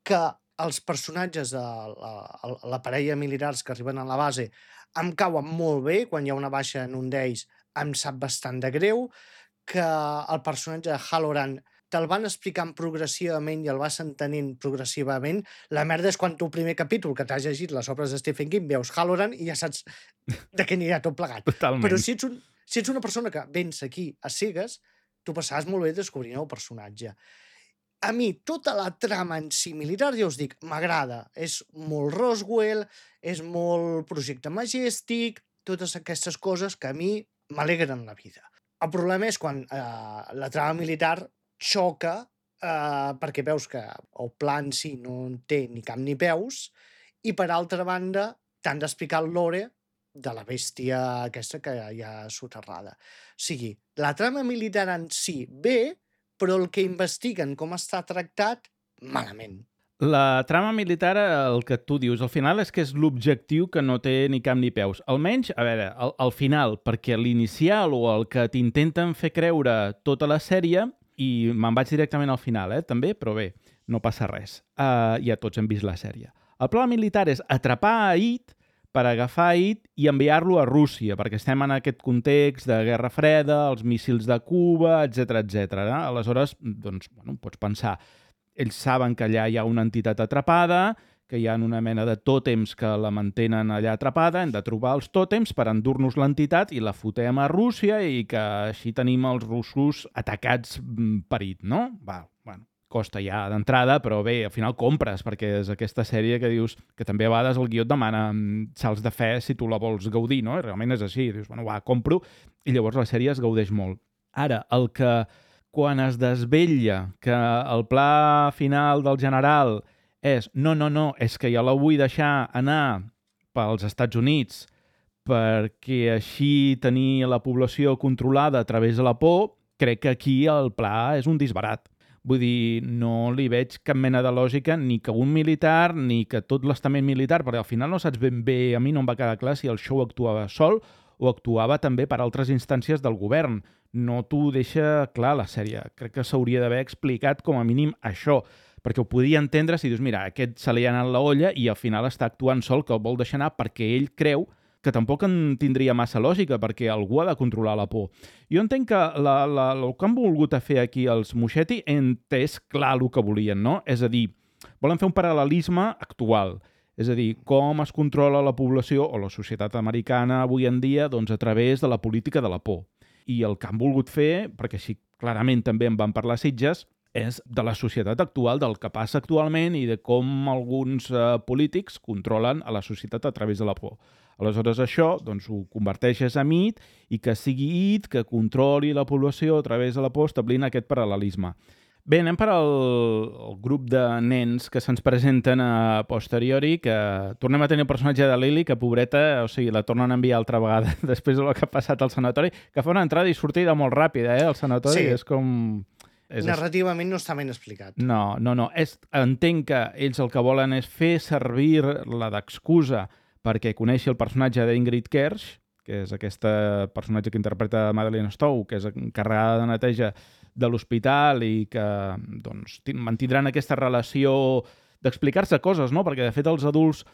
que els personatges de la parella militars que arriben a la base em cauen molt bé, quan hi ha una baixa en un d'ells em sap bastant de greu, que el personatge de Halloran te'l van explicant progressivament i el vas entenent progressivament. La merda és quan tu, primer capítol, que t'has llegit les obres de Stephen King, veus Halloran i ja saps de què anirà tot plegat. Totalment. Però si ets una persona que vens aquí a cegues, tu passaràs molt bé descobrint el personatge. A mi, tota la trama en si militar, ja us dic, m'agrada. És molt Roswell, és molt projecte Majestic, totes aquestes coses que a mi m'alegren la vida. El problema és quan la trama militar xoca perquè veus que el pla en si no en té ni cap ni peus i, per altra banda, t'han d'explicar el lore de la bèstia aquesta que hi ha soterrada. O sigui, la trama militar en si bé, però el que investiguen com està tractat, malament. La trama militar, el que tu dius, al final és que és l'objectiu que no té ni cap ni peus. Almenys, a veure, al final, perquè l'inicial o el que t'intenten fer creure tota la sèrie, i me'n vaig directament al final, també, però bé, no passa res. Ja tots hem vist la sèrie. El pla militar és atrapar a It per agafar It i enviar-lo a Rússia, perquè estem en aquest context de Guerra Freda, els míssils de Cuba, etc. Aleshores, doncs, pots pensar, ells saben que allà hi ha una entitat atrapada, que hi ha una mena de tòtems que la mantenen allà atrapada, hem de trobar els tòtems per endur-nos l'entitat i la fotem a Rússia i que així tenim els russos atacats per It, no? Costa ja d'entrada, però bé, al final compres, perquè és aquesta sèrie que dius que també a vegades el guió et demana salts de fe si tu la vols gaudir, no? I realment és així, dius, compro, i llavors la sèrie es gaudeix molt. Ara, el que quan es desvetlla que el pla final del general és no, és que jo la vull deixar anar pels Estats Units perquè així tenir la població controlada a través de la por, crec que aquí el pla és un disbarat. Vull dir, no li veig cap mena de lògica ni que un militar ni que tot l'estament militar, perquè al final no saps ben bé, a mi no em va quedar clar si el show actuava sol o actuava també per altres instàncies del govern. No t'ho deixa clar la sèrie. Crec que s'hauria d'haver explicat com a mínim això, perquè ho podia entendre si dius, mira, aquest se li ha anat la olla i al final està actuant sol, que el vol deixar anar perquè ell creu que tampoc en tindria massa lògica, perquè algú ha de controlar la por. Jo entenc que el que han volgut fer aquí els Muschietti és clar el que volien, no? És a dir, volen fer un paral·lelisme actual. És a dir, com es controla la població o la societat americana avui en dia doncs, a través de la política de la por. I el que han volgut fer, perquè així clarament també en van parlar Sitges, és de la societat actual, del que passa actualment i de com alguns polítics controlen a la societat a través de la por. Aleshores això doncs, ho converteixes en It i que sigui It que controli la població a través de la por establint aquest paral·lelisme. Bé, anem per al grup de nens que se'ns presenten a posteriori, que tornem a tenir el personatge de Lily, que pobreta, o sigui, la tornen a enviar altra vegada després del que ha passat al sanatori, que fa una entrada i sortida molt ràpida, al sanatori, sí. És com... Narrativament no està ben explicat. No. Entenc que ells el que volen és fer servir la d'excusa perquè coneixi el personatge d'Ingrid Kersh, que és aquest personatge que interpreta Madeleine Stowe, que és encarregada de neteja de l'hospital i que doncs, mantindran aquesta relació d'explicar-se coses, no? Perquè de fet els adults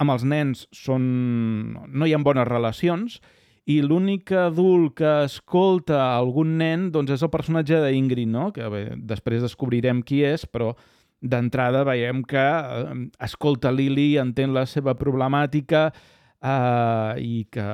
amb els nens no hi ha bones relacions i l'únic adult que escolta algun nen doncs, és el personatge d'Ingrid, no? Que bé, després descobrirem qui és, però d'entrada veiem que escolta Lily, entén la seva problemàtica i que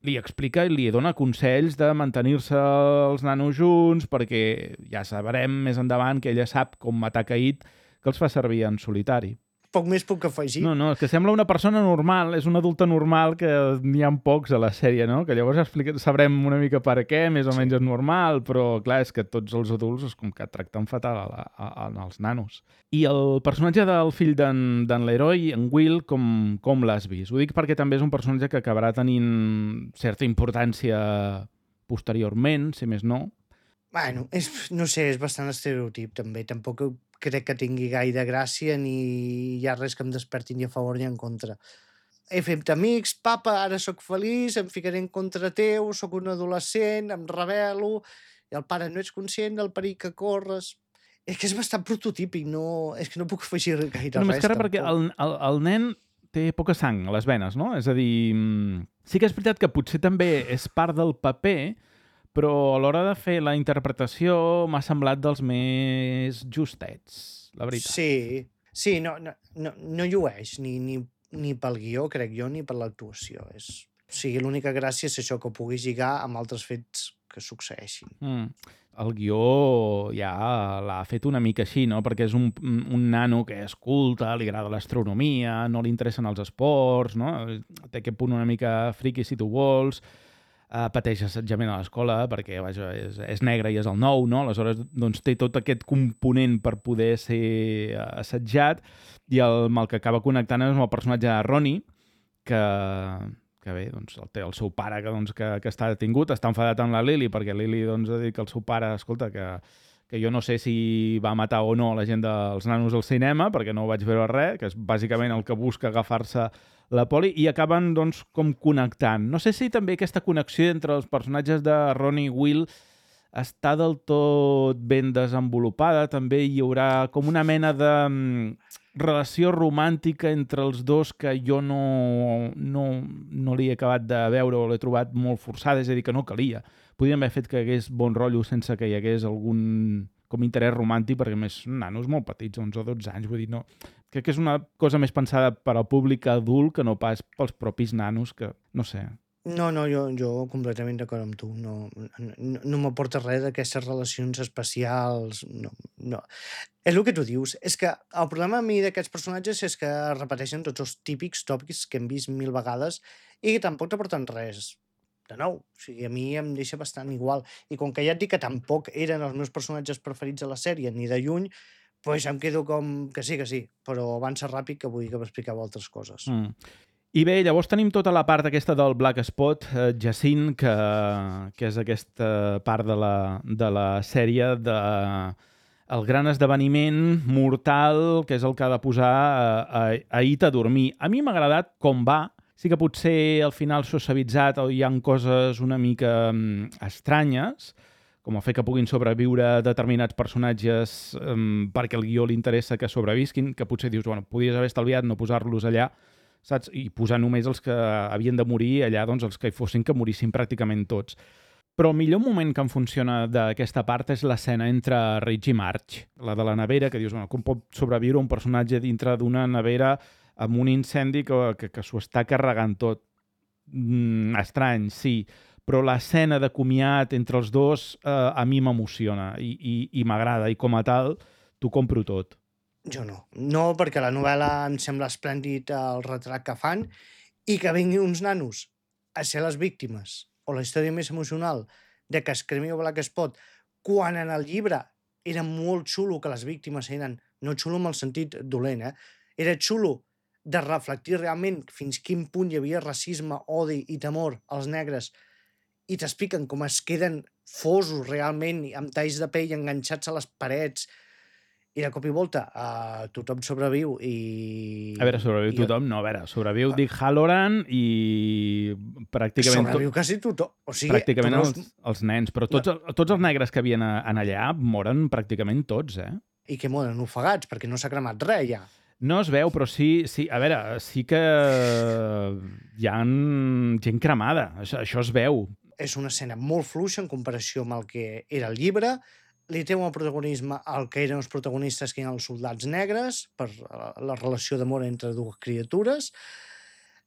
li explica i li dona consells de mantenir-se els nanos junts perquè ja sabrem més endavant que ella sap com matar It, que els fa servir en solitari. poc més puc afegir. No, és que sembla una persona normal, és una adulta normal que n'hi ha pocs a la sèrie, no? Que llavors sabrem una mica per què, més o menys és normal, però clar, és que tots els adults és com que tracten fatal als nanos. I el personatge del fill d'en Leroy, en Will, com l'has vist? Ho dic perquè també és un personatge que acabarà tenint certa importància posteriorment, si més no. Bueno, no sé, és bastant estereotip també. Tampoc crec que tingui gaire gràcia ni hi ha res que em desperti ni a favor ni en contra. He fet amics, papa, ara sóc feliç, em ficaré en contra teu, sóc un adolescent, em rebel·lo, i el pare no ets conscient del perill que corres. És que és bastant prototípic, és que no puc afegir gaire Només res. que ara perquè el nen té poca sang a les venes, no? És a dir, sí que és veritat que potser també és part del paper, però a l'hora de fer la interpretació m'ha semblat dels més justets, la veritat. Sí, no llueix ni pel guió, crec jo, ni per l'actuació. O sigui, l'única gràcia és això, que ho pugui lligar amb altres fets que succeeixin. El guió ja l'ha fet una mica així, no? Perquè és un nano que és culte, li agrada l'astronomia, no li interessen els esports, no? Té aquest punt una mica friqui, si tu vols, pateix assetjament a l'escola perquè vaja, és negre i és el nou, no? Aleshores doncs, té tot aquest component per poder ser assetjat i amb el que acaba connectant és amb el personatge de Ronnie, que bé, doncs, té el seu pare que està detingut, està enfadat amb la Lily perquè Lily doncs, ha dit que el seu pare, escolta, que jo no sé si va matar o no la gent dels nanos al cinema, perquè no ho vaig veure res, que és bàsicament el que busca agafar-se la Polly, i acaben doncs, com connectant. No sé si també aquesta connexió entre els personatges de Ronnie i Will està del tot ben desenvolupada. També hi haurà com una mena de relació romàntica entre els dos que jo no l'he acabat de veure o l'he trobat molt forçada, és a dir, que no calia. Podríem haver fet que hagués bon rotllo sense que hi hagués algun com interès romàntic, perquè més nanos molt petits, 11 o 12 anys, vull dir, no. Crec que és una cosa més pensada per al públic adult que no pas pels propis nanos, que no sé. No, jo completament d'acord amb tu. No m'aporta res d'aquestes relacions especials. No. És el que tu dius. És que el problema a mi d'aquests personatges és que repeteixen tots els típics tòpics que hem vist 1000 vegades i que tampoc t'aporten res de nou. O sigui, a mi em deixa bastant igual. I com que ja et dic que tampoc eren els meus personatges preferits a la sèrie, ni de lluny, doncs em quedo com que sí, però avança ràpid que vull que m'expliqueu altres coses. I bé, llavors tenim tota la part aquesta del Black Spot, Jacint, que és aquesta part de la sèrie el gran esdeveniment mortal, que és el que ha de posar a It a dormir. A mi m'ha agradat com va. Sí que potser al final s'ha suavitzat o hi ha coses una mica estranyes, com el fet que puguin sobreviure determinats personatges perquè el guió li interessa que sobrevisquin, que potser dius, bueno, podies haver estalviat no posar-los allà, saps? I posar només els que havien de morir allà, doncs els que hi fossin, que morissin pràcticament tots. Però el millor moment que em funciona d'aquesta part és l'escena entre Ridge i Marge, la de la nevera, que dius, bueno, com pot sobreviure un personatge dintre d'una nevera amb un incendi que s'ho està carregant tot. Estrany, sí, però l'escena de comiat entre els dos a mi m'emociona i m'agrada, i com a tal t'ho compro tot. Jo no. No, perquè la novel·la em sembla esplèndid el retrat que fan i que vinguin uns nanos a ser les víctimes o la història més emocional de que es cremi el Black Spot, quan en el llibre era molt xulo que les víctimes eren, no xulo en el sentit dolent, era xulo de reflectir realment fins quin punt hi havia racisme, odi i temor als negres, i t'expliquen com es queden fosos realment amb talls de pell enganxats a les parets, i de cop i volta tothom sobreviu i... A veure, sobreviu tothom? No, a veure, sobreviu Dick Halloran i pràcticament... Sobreviu quasi tothom. O sigui, pràcticament els nens, però tots els negres que havien allà moren pràcticament tots, I que moren ofegats, perquè no s'ha cremat res, ja. No es veu, però sí, a veure, sí que hi ha gent cremada, això es veu. És una escena molt fluixa en comparació amb el que era el llibre, li té un protagonisme al que eren els protagonistes, que eren els soldats negres, per la relació d'amor entre dues criatures.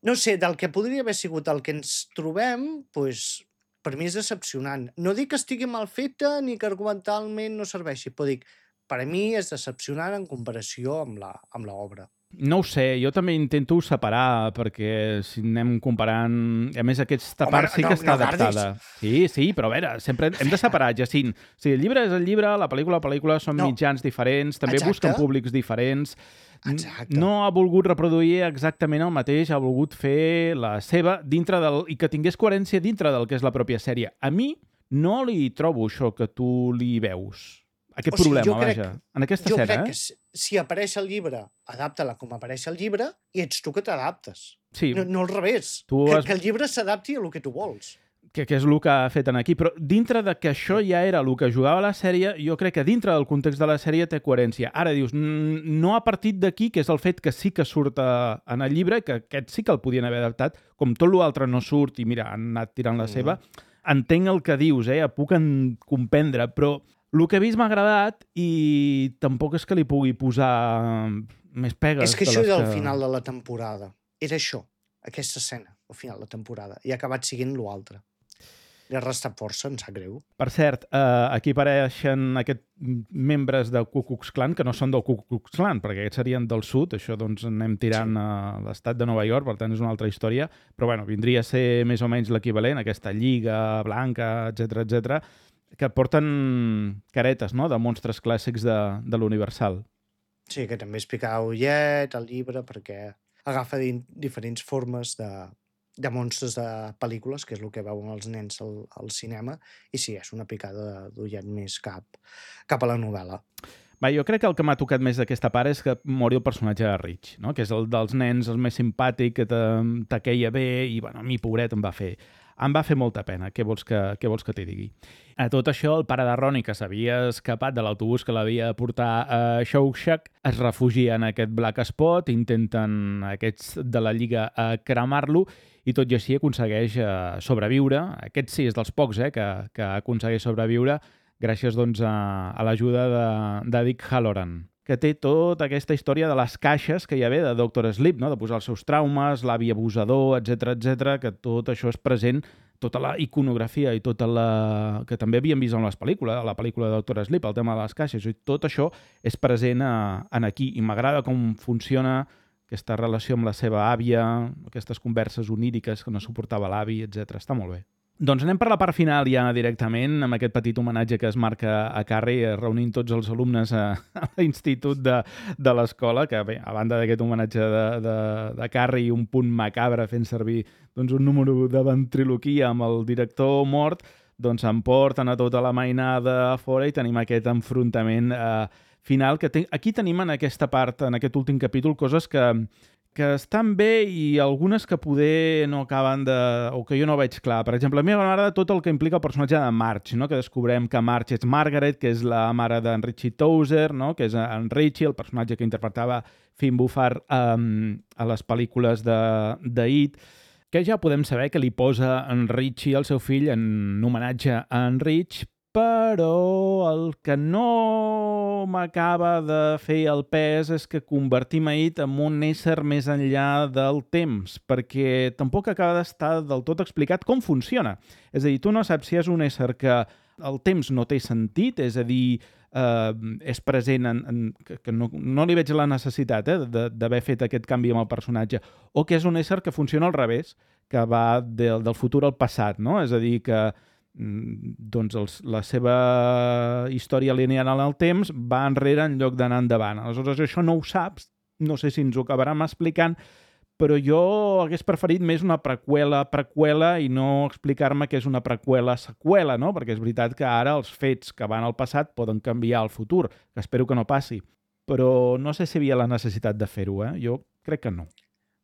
No sé, del que podria haver sigut el que ens trobem, doncs, per mi és decepcionant. No dic que estigui mal feta ni que argumentalment no serveixi, però dic, per a mi és decepcionant en comparació amb l'obra. No ho sé, jo també intento separar, perquè si anem comparant... A més, aquesta part sí que està adaptada. Sí, però a veure, sempre hem de separar, Jacint. O sigui, el llibre és el llibre, la pel·lícula són mitjans diferents, també busquen públics diferents. Exacte. No ha volgut reproduir exactament el mateix, ha volgut fer la seva dintre del... i que tingués coherència dintre del que és la pròpia sèrie. A mi no li trobo això que tu li veus. Aquest problema, vaja. En aquesta escena, Jo crec que si apareix el llibre, adapta-la com apareix el llibre i ets tu que t'adaptes. Sí. No al revés. Que el llibre s'adapti a el que tu vols. Que és el que ha fet aquí. Però dintre de que això ja era el que jugava la sèrie, jo crec que dintre del context de la sèrie té coherència. Ara dius, no ha partit d'aquí, que és el fet que sí que surt en el llibre, que aquest sí que el podien haver adaptat, com tot l'altre no surt i mira, han anat tirant la seva. Entenc el que dius, puc comprendre, però el que he vist m'ha agradat i tampoc és que li pugui posar més pegues. És que això era el final de la temporada. Era això, aquesta escena, al final de la temporada. I ha acabat siguent l'altre. Li ha restat força, em sap greu. Per cert, aquí apareixen aquests membres del Ku Klux Klan, que no són del Ku Klux Klan, perquè aquests serien del sud, això doncs anem tirant a l'estat de Nova York, per tant és una altra història, però bueno, vindria a ser més o menys l'equivalent, aquesta lliga blanca, etc, que porten caretes, no?, de monstres clàssics de l'Universal. Sí, que també explicava Ullet, el llibre, perquè agafa diferents formes de monstres de pel·lícules, que és el que veuen els nens al cinema, i sí, és una picada d'Ullet més cap a la novel·la. Va, jo crec que el que m'ha tocat més d'aquesta part és que mori el personatge de Rich, no?, que és el dels nens, el més simpàtic, que t'aqueia bé, i bueno, a mi, pobret, em va fer molta pena, què vols que t'hi digui? A tot això, el pare de Ronnie, que s'havia escapat de l'autobús que l'havia de portar a Shawshank, es refugia en aquest black spot, intenten aquests de la Lliga cremar-lo, i tot i així aconsegueix sobreviure. Aquest sí és dels pocs que aconsegueix sobreviure gràcies doncs, a l'ajuda de Dick Halloran, que té tota aquesta història de les caixes que hi ha de Dr. Sleep, no?, de posar els seus traumes, l'avi abusador, etc, que tot això és present, tota la iconografia i tota la... que també havíem vist en les pel·lícules, la pel·lícula de Dr. Sleep, el tema de les caixes, i tot això és present en aquí, i m'agrada com funciona aquesta relació amb la seva àvia, aquestes converses oníriques que no suportava l'avi, etc. Està molt bé. Doncs anem per la part final ja directament, amb aquest petit homenatge que es marca a Carrie, reunint tots els alumnes a l'institut de l'escola, que bé, a banda d'aquest homenatge de Carrie i un punt macabre fent servir doncs, un número de ventriloquia amb el director mort, doncs emporten a tota la mainada a fora i tenim aquest enfrontament final. Aquí tenim en aquesta part, en aquest últim capítol, coses que estan bé i algunes que poder no acaben o que jo no veig clar. Per exemple, a mi m'agrada tot el que implica el personatge de Marge, no?, que descobrem que Marge és Margaret, que és la mare d'en Richie Tozier, no?, que és en Richie, el personatge que interpretava Finn Wolfhard a les pel·lícules de It, que ja podem saber que li posa en Richie, el seu fill, en homenatge a en Rich, però el que no m'acaba de fer el pes és que convertim It en un ésser més enllà del temps, perquè tampoc acaba d'estar del tot explicat com funciona. És a dir, tu no saps si és un ésser que el temps no té sentit, és a dir, és present, que no li veig la necessitat d'haver fet aquest canvi amb el personatge, o que és un ésser que funciona al revés, que va del futur al passat, no? És a dir, que doncs la seva història lineal en el temps va enrere en lloc d'anar endavant. Aleshores, això no ho saps, no sé si ens ho acabarem explicant, però jo hagués preferit més una preqüela i no explicar-me que és una preqüela-seqüela, no? Perquè és veritat que ara els fets que van al passat poden canviar el futur, que espero que no passi, però no sé si hi havia la necessitat de fer-ho, Jo crec que no.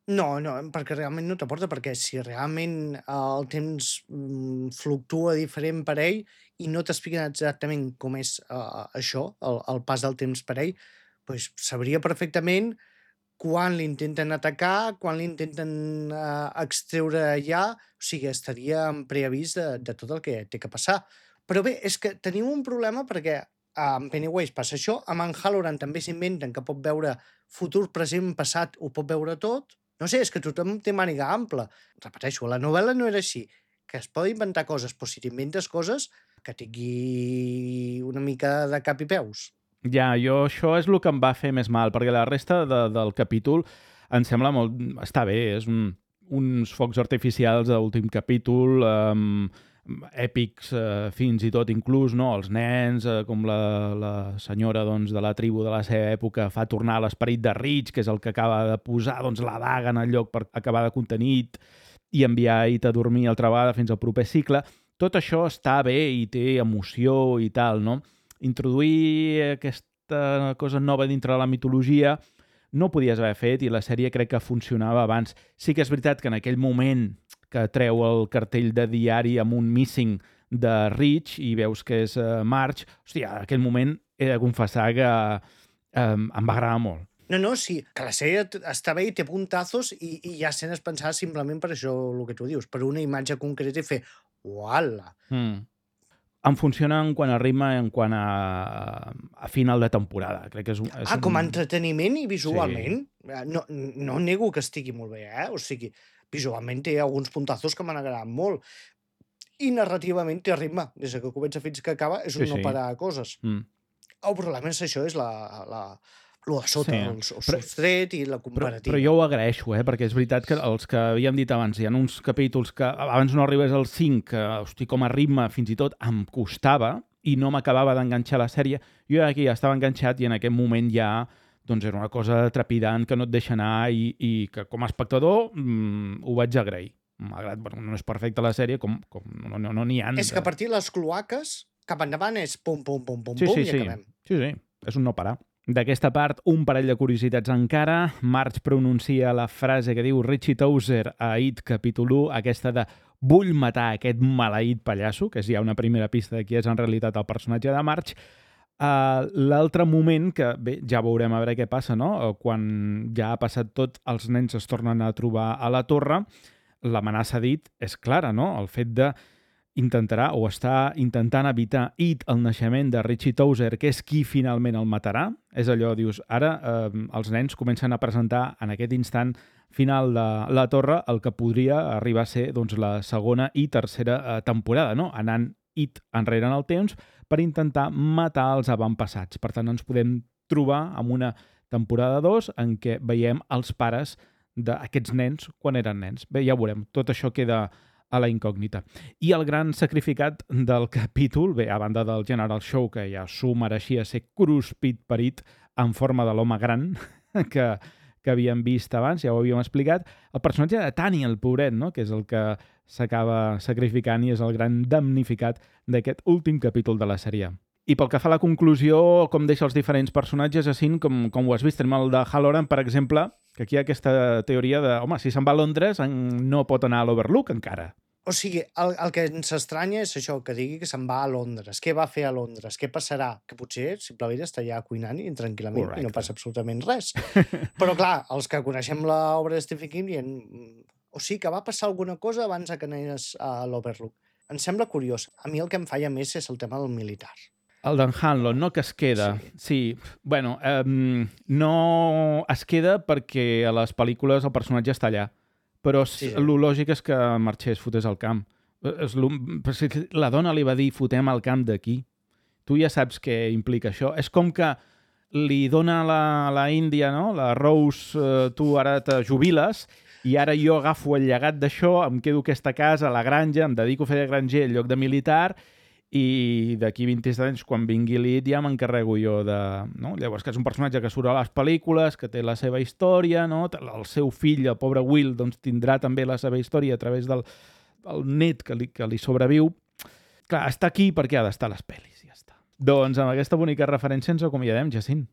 No, perquè realment no t'aporta, perquè si realment el temps fluctua diferent per ell i no t'expliquen exactament com és això, el pas del temps per ell, doncs sabria perfectament quan l'intenten atacar, quan l'intenten extreure allà, o sigui, estaria en preavís de tot el que té que passar. Però bé, és que tenim un problema perquè amb Pennywise passa això, amb en Halloran també s'inventen que pot veure futur, present, passat, ho pot veure tot. No sé, és que tothom té màniga ampla. Repeteixo, la novel·la no era així, que es pot inventar coses, però si t'inventes coses, que tingui una mica de cap i peus. Ja, això és el que em va fer més mal, perquè la resta del capítol em sembla molt... Està bé, és uns focs artificials de l'últim capítol, èpics fins i tot inclús, no? Els nens, com la senyora doncs, de la tribu de la seva època fa tornar l'esperit de Reach, que és el que acaba de posar doncs, la daga en el lloc per acabar de contenir i enviar It a dormir altra vegada fins al proper cicle. Tot això està bé i té emoció i tal, no? Introduir aquesta cosa nova dintre de la mitologia no podies haver fet i la sèrie crec que funcionava abans. Sí que és veritat que en aquell moment que treu el cartell de diari amb un missing de Reach i veus que és Marge, hòstia, en aquell moment he de confessar que em va agradar molt. No, sí, que la sèrie està bé i té puntazos i hi ha escenes pensades simplement per això, el que tu dius, per una imatge concreta i fer uala. Em funciona en quant a ritme i en quant a final de temporada. Crec que és com a entreteniment i visualment. Sí. No nego que estigui molt bé, O sigui, visualment té alguns puntazos que m'han agradat molt. I narrativament té ritme. Des que comença fins que acaba és un no parar de coses. El problema és això, és lo de sota, el sostret i la comparativa. Però jo ho agraeixo, perquè és veritat que els que havíem dit abans, hi ha uns capítols que abans no arribés al 5, que, hosti, com a ritme fins i tot em costava i no m'acabava d'enganxar la sèrie. Jo aquí ja estava enganxat i en aquest moment ja doncs era una cosa trepidant que no et deixa anar i que com a espectador ho vaig agrair. Malgrat, no és perfecta la sèrie, com no n'hi ha. És que a partir de les cloaques, cap endavant és pum, pum, pum, pum, pum, i acabem. Sí, és un no parar. D'aquesta part, un parell de curiositats encara. Marge pronuncia la frase que diu Richie Tozier a It capítol 1, aquesta de vull matar aquest maleït pallasso, que és ja una primera pista de qui és en realitat el personatge de Marge. L'altre moment, que bé, ja veurem a veure què passa, no? Quan ja ha passat tot, els nens es tornen a trobar a la torre, l'amenaça d'It és clara, no? El fet de intentarà o està intentant evitar It el naixement de Richie Tozier, que és qui finalment el matarà. És allò, dius, ara els nens comencen a presentar en aquest instant final de la torre el que podria arribar a ser doncs, la segona i tercera temporada, no? Anant It enrere en el temps per intentar matar els avantpassats. Per tant, ens podem trobar amb una temporada 2 en què veiem els pares d'aquests nens quan eren nens. Bé, ja ho veurem. Tot això queda a la incògnita. I el gran sacrificat del capítol, bé, a banda del General Show, que ja s'ho mereixia ser cruspit per It en forma de l'home gran que havíem vist abans, ja ho havíem explicat, el personatge de Tani, el pobret, no? Que és el que s'acaba sacrificant i és el gran damnificat d'aquest últim capítol de la sèrie. I pel que fa a la conclusió, com deixa els diferents personatges, així com ho has vist, tenim el de Halloran, per exemple, que aquí hi ha aquesta teoria de, home, si se'n va a Londres no pot anar a l'Overlook encara. O sigui, el que ens estranya és això, que digui que se'n va a Londres. Què va fer a Londres? Què passarà? Que potser simplement està allà cuinant i tranquil·lament i no passa absolutament res. Però clar, els que coneixem l'obra de Stephen King dient, o sigui que va passar alguna cosa abans que anés a l'Overlook. Em sembla curiós. A mi el que em falla més és el tema del militar. El d'en Hanlon, no? Que es queda. Sí. Bueno, no es queda perquè a les pel·lícules el personatge està allà. Però el lògic és que marxés, fotés al camp. La dona li va dir, fotem al camp d'aquí. Tu ja saps què implica això. És com que li dona a la Índia, no? La Rose, tu ara te jubiles i ara jo agafo el llegat d'això, em quedo a aquesta casa, a la granja, em dedico a fer de granger en lloc de militar i d'aquí 20 anys, quan vingui l'It, ja m'encarrego jo de... No? Llavors, que és un personatge que surt a les pel·lícules, que té la seva història, no? El seu fill, el pobre Will, doncs, tindrà també la seva història a través del net que li sobreviu. Clar, està aquí perquè ha d'estar a les pel·lis, ja està. Doncs amb aquesta bonica referència ens acomiadem, Jacint.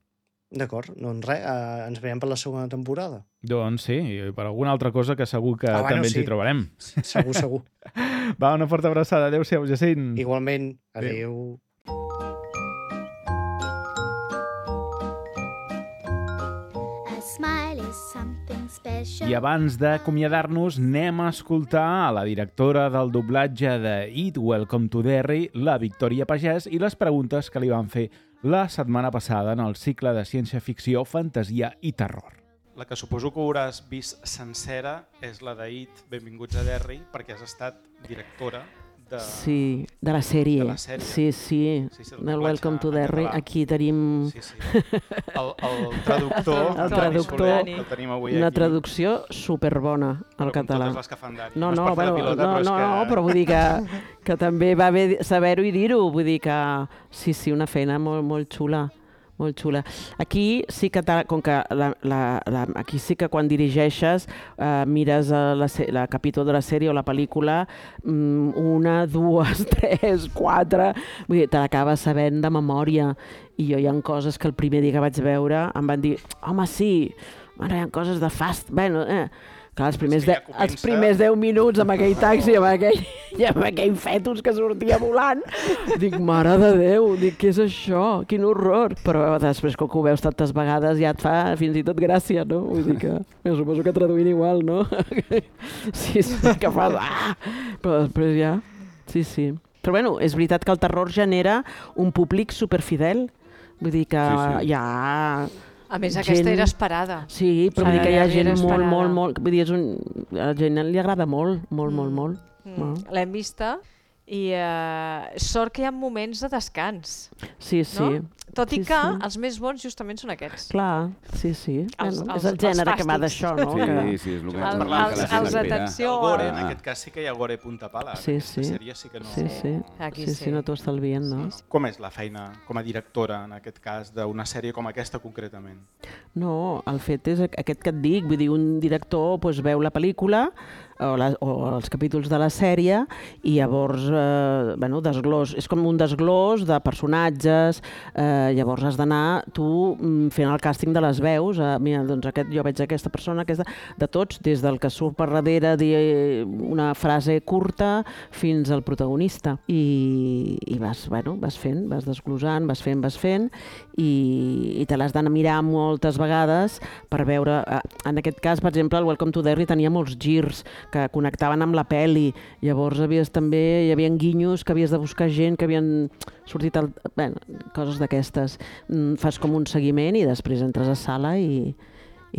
D'acord, doncs res, ens veiem per la segona temporada. Doncs sí, i per alguna altra cosa que segur que també ens hi trobarem. Segur. Va, una forta abraçada. Adéu-siau, Jacint. Igualment. Adéu. I abans d'acomiadar-nos, anem a escoltar a la directora del doblatge de It, Welcome to Derry, la Victòria Pagès, i les preguntes que li van fer la setmana passada en el cicle de ciència-ficció, fantasia i terror. La que suposo que hauràs vist sencera és la de It, Benvinguts a Derry, perquè has estat directora Sí, de la sèrie. Sí, del Welcome to Derry. Aquí tenim... El traductor. El traductor, el tenim avui aquí. una traducció superbona al català. Totes les que fan Dani. No, és per fer la pilota, però vull dir que també va bé saber-ho i dir-ho. Vull dir que sí, una feina molt xula. Molt xula. Aquí sí que, com que aquí sí que quan dirigeixes mires el capítol de la sèrie o la pel·lícula 1, 2, 3, 4, vull dir, te l'acabes sabent de memòria. I jo hi ha coses que el primer dia que vaig veure em van dir, home, sí, hi ha coses de fast, bueno, clar, els primers 10 minuts amb aquell taxi, amb aquell fetus que sortia volant, dic, mare de Déu, dic, què és això? Quin horror! Però després, com que ho veus tantes vegades, ja et fa fins i tot gràcia, no? Vull dir que, suposo que traduint igual, no? Sí, que fas, però després ja, sí. Però bueno, és veritat que el terror genera un públic superfidel, vull dir que hi ha... A més, aquesta era esperada. Sí, però vull dir que hi ha gent molt... Vull dir, a la gent li agrada molt. L'hem vista i sort que hi ha moments de descans. Sí. Tot i que els més bons justament són aquests. Clar, sí. És el gènere que va d'això, no? Sí, és el que els atenció... El gore, en aquest cas sí que hi ha gore punta pala. Sí. Sèrie sí que no... Sí, no t'ho estalvien, no? Com és la feina com a directora, en aquest cas, d'una sèrie com aquesta concretament? No, el fet és aquest que et dic, vull dir, un director veu la pel·lícula o els capítols de la sèrie i llavors, desglòs, és com un desglòs de personatges, llavors has d'anar tu fent el càsting de les veus, mira, doncs jo veig aquesta persona, de tots, des del que surt per darrere dir una frase curta fins al protagonista i vas fent, vas desglosant, vas fent i te l'has d'anar mirar moltes vegades per veure, en aquest cas, per exemple, el Welcome to Derry tenia molts girs que connectaven amb la pel·li, llavors hi havia guinyos que havies de buscar gent que havien sortit, coses d'aquestes. Fas com un seguiment i després entres a sala i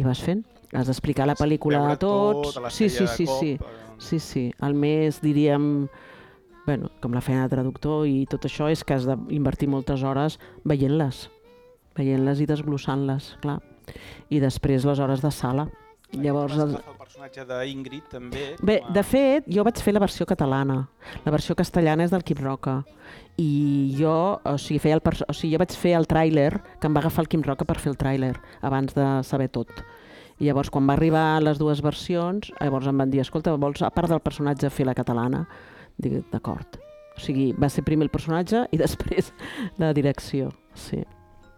vas fent. Has d'explicar la pel·lícula a tots. Sí. El més, diríem, com la feina de traductor i tot això és que has d'invertir moltes hores veient-les i desglossant-les, clar. I després les hores de sala. Llavors, el personatge d'Ingrid també... Bé, de fet, jo vaig fer la versió catalana. La versió castellana és del Quim Roca. I jo, jo vaig fer el tràiler, que em va agafar el Quim Roca per fer el tràiler, abans de saber tot. I llavors, quan va arribar les dues versions, llavors em van dir, escolta, vols, a part del personatge, fer la catalana? Dic, d'acord. O sigui, va ser primer el personatge i després la direcció, sí.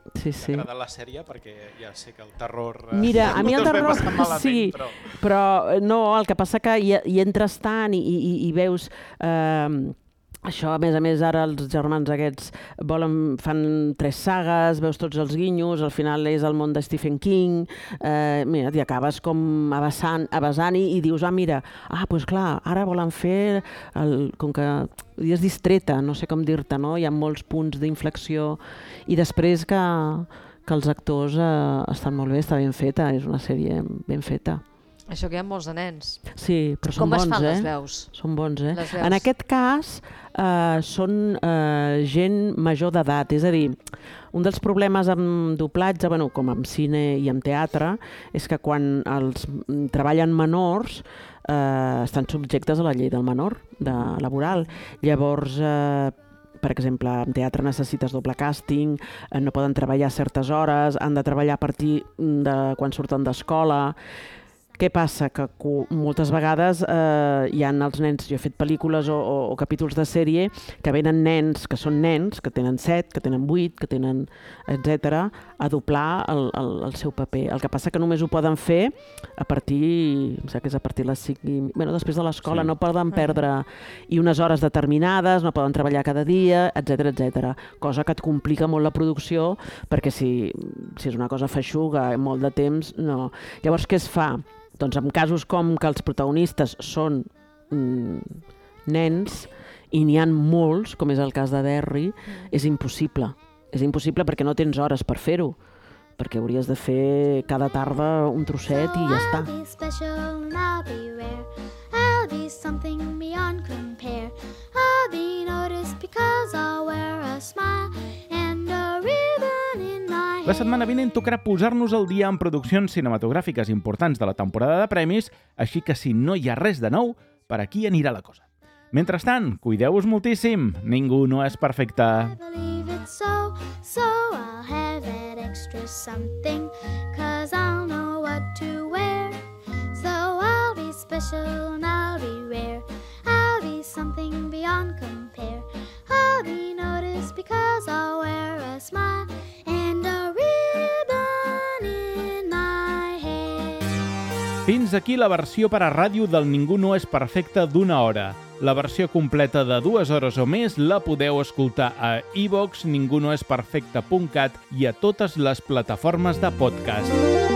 T'ha agradat la sèrie? Perquè ja sé que el terror... Mira, a mi el terror sí, però no, el que passa que hi entres tant i veus... Això, a més, ara els germans aquests fan 3 sagues, veus tots els guinyos, al final és el món de Stephen King, mira, t'hi acabes com avasant i dius, mira, doncs clar, ara volen fer, com que és distreta, no sé com dir-te, no? Hi ha molts punts d'inflexió i després que els actors estan molt bé, està ben feta, és una sèrie ben feta. Això que hi ha molts de nens. Sí, però són bons, Com es fan les veus? Són bons, En aquest cas, són gent major d'edat, és a dir, un dels problemes amb doblatge, com amb cine i amb teatre, és que quan els treballen menors estan subjectes a la llei del menor, laboral. Llavors, per exemple, en teatre necessites doble càsting, no poden treballar a certes hores, han de treballar a partir de quan surten d'escola. Què passa? Que moltes vegades hi ha els nens, jo he fet pel·lícules o capítols de sèrie que venen nens, que són nens, que tenen 7, que tenen 8, que tenen etc., a doblar el seu paper. El que passa que només ho poden fer a partir, em sembla que és a partir de les 5, després de l'escola, no poden perdre i unes hores determinades, no poden treballar cada dia, etc. Cosa que et complica molt la producció, perquè si és una cosa feixuga, molt de temps, no. Llavors, què es fa? Doncs en casos com que els protagonistes són nens i n'hi ha molts, com és el cas de Derry, és impossible. És impossible perquè no tens hores per fer-ho, perquè hauries de fer cada tarda un trosset i ja està. I'll be something beyond compare. I'll be noticed because I'll wear a smile and a ribbon in my hair. La setmana vinent tocarà posar-nos al dia en produccions cinematogràfiques importants de la temporada de premis, així que si no hi ha res de nou, per aquí anirà la cosa. Mentrestant, cuideu-vos moltíssim. Ningú no és perfecte. I believe it's so I'll have that extra something, 'cause I'll know what to wear. So I'll be special and I'll be rare. I'll be something beyond compare. I'll be noticed because I'll wear a smile and a ribbon in my hair. Fins aquí la versió per a ràdio del Ningú no és perfecte d'una hora. La versió completa de 2 hores o més la podeu escoltar a iVoox, ningunoesperfecte.cat i a totes les plataformes de podcast.